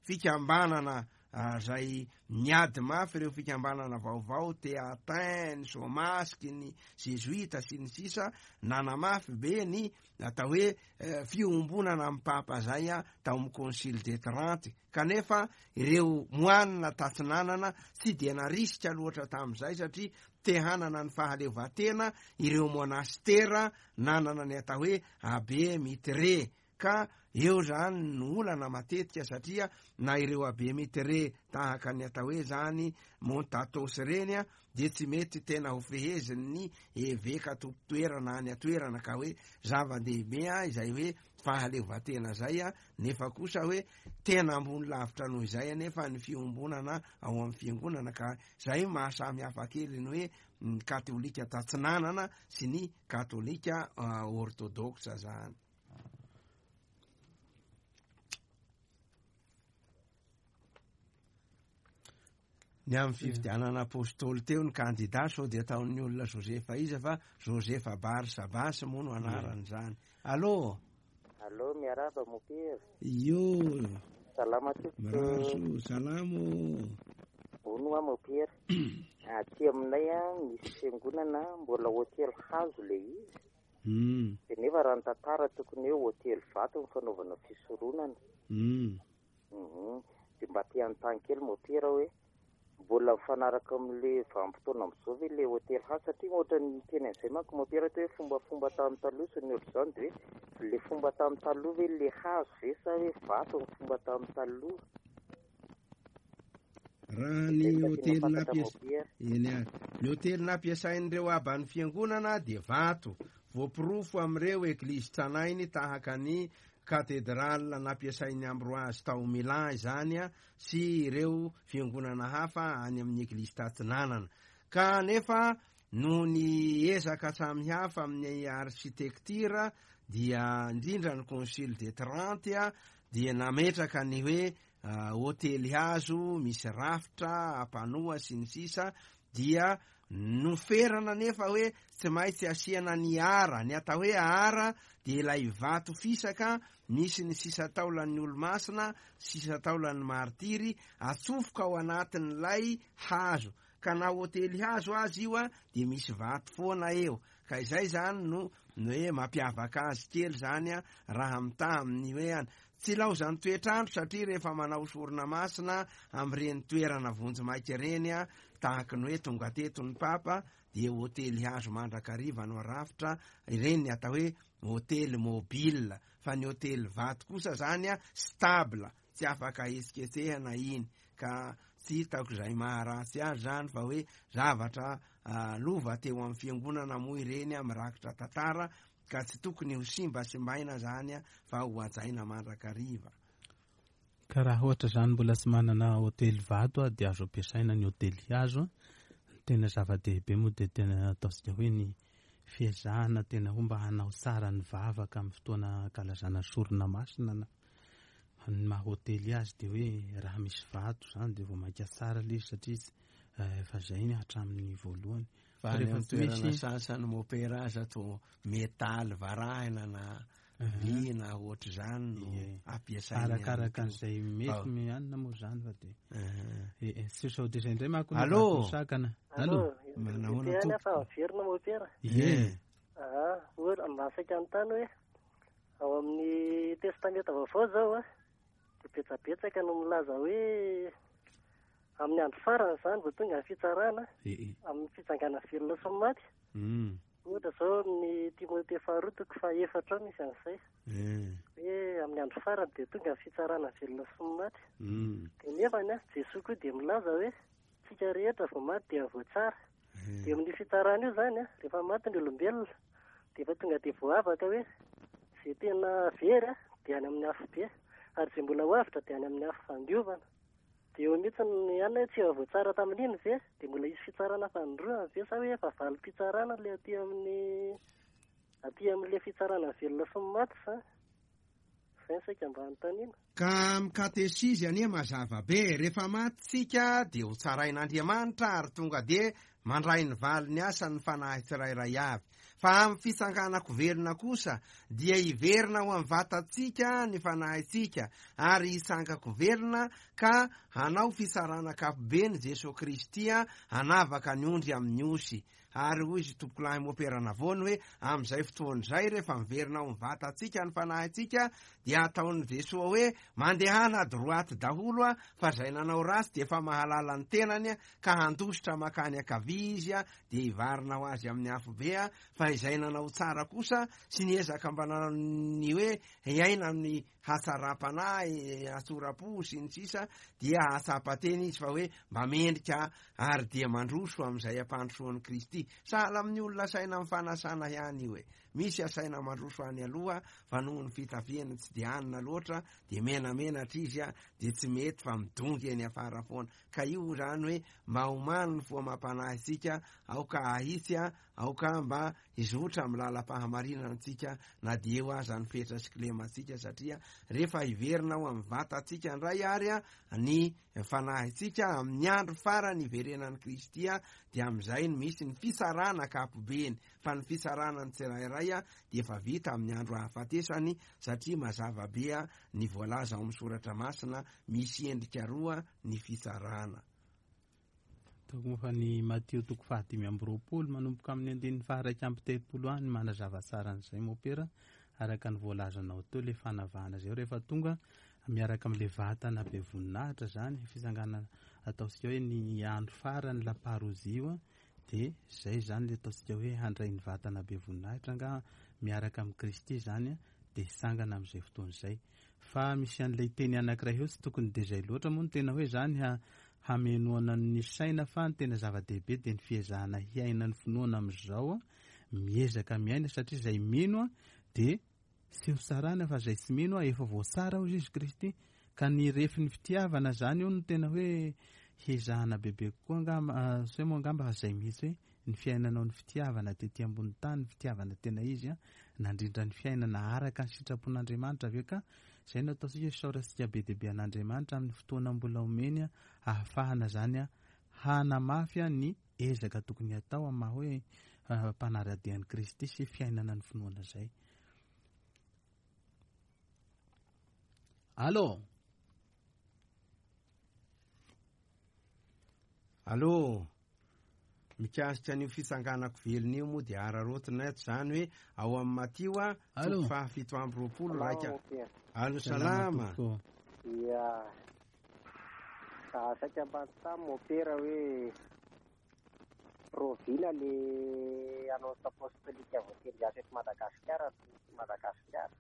fikambanana. izay niady mafy ireo fikambanana vaovao Théatin, ny Somasque, ny Zezoita sy ny sisa nanamafy be ny atao hoe fiombonana amin'ny Papa izay tao amin'ny Concile de Trente. Kanefa ireo moanina tatsinanana tsy dia narisika loatra tamin'izay satria te hanana ny fahaleovantena ireo monastera nanana ny atao hoe abbé mitré. Ka eo zany no olana matetika satria na ireo abbé mitré tahaka ny atao hoe zany Montatos ireny dia tsy mety tena ho fehezin'ny eveka tompon-toerana any an-toerana ka hoe zava-dehibe izay hoe fahaleovantena izay nefa kosa hoe tena ambony lavitra noho izay anefa ny fiombonana ao amin'ny fiangonana ka izay mahasamy hafa kely ny hoe ny katolika tatsinanana sy ny katolika orthodoxe zany. Ny amin'ny fifidianana apostoly teo ny kandida sao dia ataon'ny olona Josefa iza fa Josefa Barsabasy moa no anarany izany. Allô? Allô, miarahaba mopera. Io. Salama tompoko. Mirary soa, salama ô. Hono hoa mopera. Aty aminay misy fiangonana mbola hotely hazo le izy. Dia nefa raha ny tantara tokony hoe hotely vato ny fanaovana fisoronana. Dia mba te hanontany kely mopera hoe mbola mifanaraka amin'le vanim-potoana amin'izao ve le hotely hazo satria ohatran'ny niteny an'izay manko mopera teo hoe fombafomba tamin'ny taloha sy ny ohatr'izany dia hoe le fomba tamin'ny taloha ve le hazo ve sa hoe vato ny fomba tamin'ny taloha? Raha ny hotely nampiasa eny ary ny hotely nampiasain'ireo aban'ny fiangonana dia vato voaporofo amin'ireo eglizy tranainy tahaka ny katedrala nampiasain'i Ambroise tao Milan izany sy ireo fiangonana hafa any amin'ny eglizy tatsinanana. Ka nefa noho ny ezaka samihafa amin'ny arsitektira dia indrindra ny Concile de Trente dia nametraka ny hoe hotely hazo misy rafitra ampanoa sy ny sisa dia noferana nefa hoe tsy maintsy asiana ny ara. Ny atao hoe ara dia ilay vato fisaka misy ny sisa taolan'ny olomasina, sisa taolan'ny martiry atsofoka ao anatin'ilay hazo. Ka na hotely hazo aza io dia misy vato foana eo. Ka izay izany no hoe mampiavaka azy kely izany raha mitaha amin'ny hoe any. Tsy ilaozan'ny toetr'andro satria rehefa manao sorona masina amin'ireny toerana vonjimaika ireny tahaky ny hoe tonga teto ny Papa dia hotely hazo mandrakariva no arafitra, ireny ny atao hoe hotely mobile. Fa ny hotely vato kosa izany stable, tsy afaka hetsiketsehana iny. Ka tsy hitako izay maharatsy azy izany fa hoe zavatra lova teo amin'ny fiangonana moa ireny mirakitra tantara ka tsy tokony ho simbasimbaina zany fa ho hajaina mandrakariva. Ka raha ohatra zany mbola tsy manana hotely vato a dia azo ampiasaina ny hotely hazo a. Ny tena zava-dehibe moa dia tena ataontsika hoe ny fiezahana tena ho mba hanao tsara ny vavaka amin'ny fotoana ankalazana sorona masina na ny maha hotely azy dia hoe raha misy vato zany dia vao mainka tsara ilay izy satria efa zay ny hatramin'ny voalohany. Fa any amin'ny toerana sasany mopera aza to metaly varahina na vy na ohatr'izany no ampiasaina. Arakaraka an'izay mety mianina moa izany fa dia tsy sao dia izay indray manko no Allô? sakana. Allô? Manahoana Ity tompoko? fa averina mopera. Ie. Ah, ohatra mba saika anontany hoe ao amin'ny testamenta vaovao izao a dia betsabetsaka no milaza hoe Amin'ny andro farany izany vao tonga ny fitsarana, amin'ny fitsanganana velona sy ny maty. Ohatra izao amin'ny Timothée faharoa toko fahaefatra ao misy an'izay. Hoe amin'ny andro farany dia tonga ny fitsarana velona sy ny maty. Dia nefany an, Jesoa koa dia milaza hoe tsika rehetra vao maty dia voatsara. Dia amin'io fitsarana io izany an, rehefa maty ny olombelona dia efa tonga dia voavaka hoe izay tena very an, dia any amin'ny afobe, ary izay mbola ho avotra dia any amin'ny afo fandiovana. Dia eo mihitsy ny ihany hoe tsy efa voatsara tamin'iny ve? Dia mbola hisy fitsarana fanindroany ve sa hoe efa valim-pitsarana ilay aty amin'ny aty amin'ilay fitsarana ny velona sy ny maty sa? Izay no saika mba hanontaniana. Ka amin'ny katesizy anie mazava be, rehefa maty tsika dia ho tsarain'Andriamanitra ary tonga dia Mandray ny valin'ny asany ny fanahy tsirairay avy. Fa amin'ny fitsanganan-ko velona kosa dia hiverina ao amin'ny vatantsika ny fanahintsika ary hitsangan-ko velona ka hanao fitsarana ankapobeny Jesoa Kristy hanavaka ny ondry amin'ny osy. Ary hoy izy tompokolahy Mopera Navony hoe amin'izay fotoana izay rehefa miverina ao amin'ny vatantsika ny fanahintsika dia ataon'i Jesoa hoe mandehana à droite daholo fa izay nanao ratsy dia efa mahalala ny tenany ka handositra mankany ankavia izy dia hivarina ho azy amin'ny afobe fa izay nanao tsara kosa sy niezaka mba nanao ny hoe hiaina amin'ny hatsaram-panahy, hatsoram-po sy ny sisa dia hahatsapa tena izy fa hoe mba mendrika ary dia mandroso amin'izay ampandrosoan'i Kristy. Sahala amin'ny olona asaina amin'ny fanasana ihany io e. Misy asaina mandroso any aloha fa noho ny fitafiany tsy dia anina loatra dia menamenatra izy dia tsy mety fa midongy eny afara foana. Ka io izany hoe mba omano ny fo amam-panahy isika, aoka hahitsy, aoka mba hizotra amin'ny lalam-pahamarinana antsika na dia eo aza ny fetra sy kilemantsika satria rehefa hiverina ao amin'ny vatantsika indray ary ny fanahintsika amin'ny andro farany hiverenan'i Kristy dia amin'izay no misy ny fitsarana ankapobeny fa ny fitsarana ny tsirairay dia efa vita amin'ny andro ahafatesany satria mazava be ny voalaza ao amin'ny soratra masina misy endrika roa ny fitsarana. Ataoko moa fa ny Matio toko faha-25 manomboka amin'ny andininy faha-31 any manazava tsara an'izay mopera araka ny voalazanao teo ilay fanavahana izay rehefa tonga miaraka amin'ilay vatana be voninahitra izany fitsanganana ataontsika hoe ny andro farany la parousie io dia izay izany ilay ataontsika hoe handray ny vatana be voninahitra angaha miaraka amin'i Kristy izany dia hitsangana amin'izay fotoana izay Fa misy an'ilay teny anankiray eo tsy tokony dia izay loatra moa no tena hoe izany hamenoana ny saina fa ny tena zava-dehibe dia ny fiezahana hiaina ny finoana amin'izao, miezaka miaina satria izay mino dia tsy ho tsarana fa izay tsy mino efa voatsara hozy izy Kristy ka ny refin'ny fitiavana izany eo no tena hoe hezahana bebe kokoa angamba, sao moa angamba fa izay mihitsy hoe ny fiainanao ny fitiavana tety ambony tany, ny fitiavana tena izy an, nandrindra ny fiainana araka ny sitrapon'Andriamanitra avy eo ka izay no ataontsika isaorantsika be dia be an'Andriamanitra amin'ny fotoana mbola omeny an, ahafahana izany an hanamafy an ny ezaka tokony hatao amin'ny maha hoe mpanara-dia an'i Kristy sy fiainana ny finoana izay. Allo. Allo. Mikasika an'io fitsanganako velona io moa dia araraotina eto izany hoe ao amin'ny Matio a, toko faha 27 raika. Alo salama. Ia. Saika mba anontany mopera hoe rahoviana le annonce apostolique voatendry hiasa eto Madagasikara eto Madagasikara?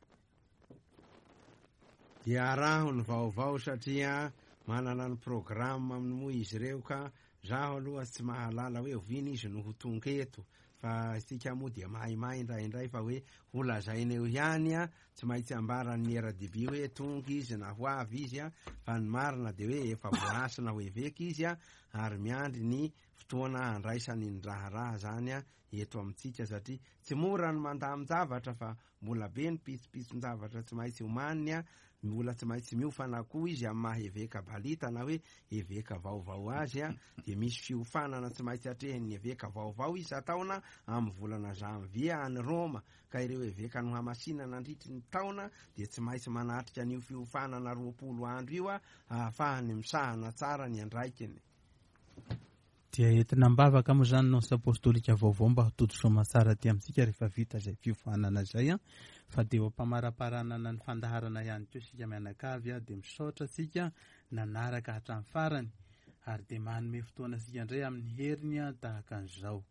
Dia araho ny vaovao satria manana ny programme aminy moa izy ireo ka zaho aloha tsy mahalala hoe oviana izy no ho tonga eto fa isika moa dia maimay indraindray fa hoe ho lazaina eo ihany a, tsy maintsy ambaran'ny RDB hoe tonga izy na ho avy izy a, fa ny marina dia hoe efa voahasina ho eveka izy a, ary miandry ny fotoana handraisany ny raharaha zany a eto amintsika satria tsy mora ny mandamin-javatra fa Mbola be ny pitsopitson-javatra tsy maintsy omaniny a, mbola tsy maintsy miofana koa izy amin'ny maha eveka balita na hoe eveka vaovao azy a, dia misy fiofanana tsy maintsy atrehin'ny eveka vaovao isan-taona amin'ny volana janvier any Roma, ka ireo eveka nohamasina nandritry ny taona dia tsy maintsy manatrika an'io fiofanana 20 andro io a, ahafahany misahana tsara ny andraikiny. Dia entina am-bavaka moa izany Nonce Apostolika vaovao mba ho tody soamantsara aty amintsika rehefa vita izay fiofanana izay an! Fa dia eo am-pamaraparanana ny fandaharana ihany koa isika mianakavy an! Dia misaotra antsika nanaraka hatramin'ny farany ary dia manome fotoana antsika indray amin'ny heriny an! Tahaka an'izao.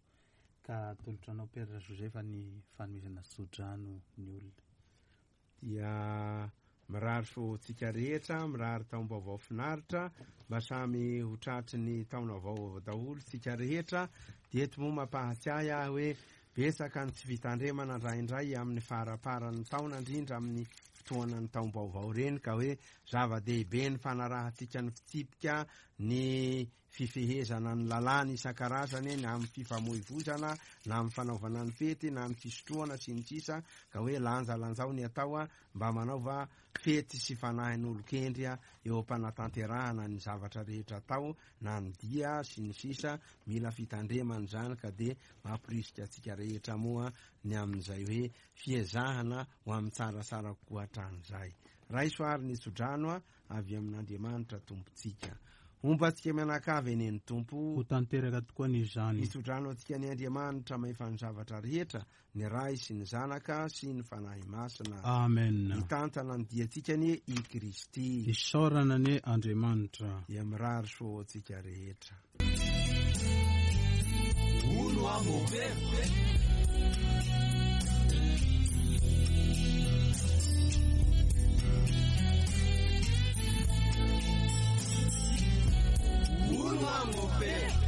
Ka atolotra anao Père Joseph ny fanomezana tsodrano ny olona. Dia mirary soa ho antsika rehetra, mirary taom-baovao finaritra, mba samy ho tratry ny taona vaovao daholo tsika rehetra. Dia eto moa mampahatsiahy ahy hoe betsaka ny tsy fitandremana indraindray amin'ny faraparan'ny taona, indrindra amin'ny. fotoanan'ny taom-baovao ireny ka hoe zava-dehibe ny fanarahantsika ny fitsipika ny fifehezana ny lalàna isan-karazany na amin'ny fifamoivoizana na amin'ny fanaovana ny fety na ny fisotroana sy ny sisa ka hoe lanjalanjao ny atao mba manaova fety sy fanahin'olon-kendry eo am-panatanterahana ny zavatra rehetra atao na ny dia sy ny sisa mila fitandremana izany ka dia mamporisika antsika rehetra moa ny amin'izay hoe fiezahana ho amin'ny tsaratsara kokoa hatrany izay. Raiso ary ny tsodrano avy amin'Andriamanitra Tompontsika. Homba antsika mianakavy anie ny Tompo. Ho tanteraka tokoa anie izany. Hitsodrano antsika anie Andriamanitra mahefa ny zavatra rehetra, ny Ray sy ny Zanaka sy ny Fanahy Masina. Amen. Hitantana ny diantsika anie i Kristy. Isaorana anie Andriamanitra. Dia mirary soa ho antsika rehetra. Hono aho mompera. Hono aho mompera.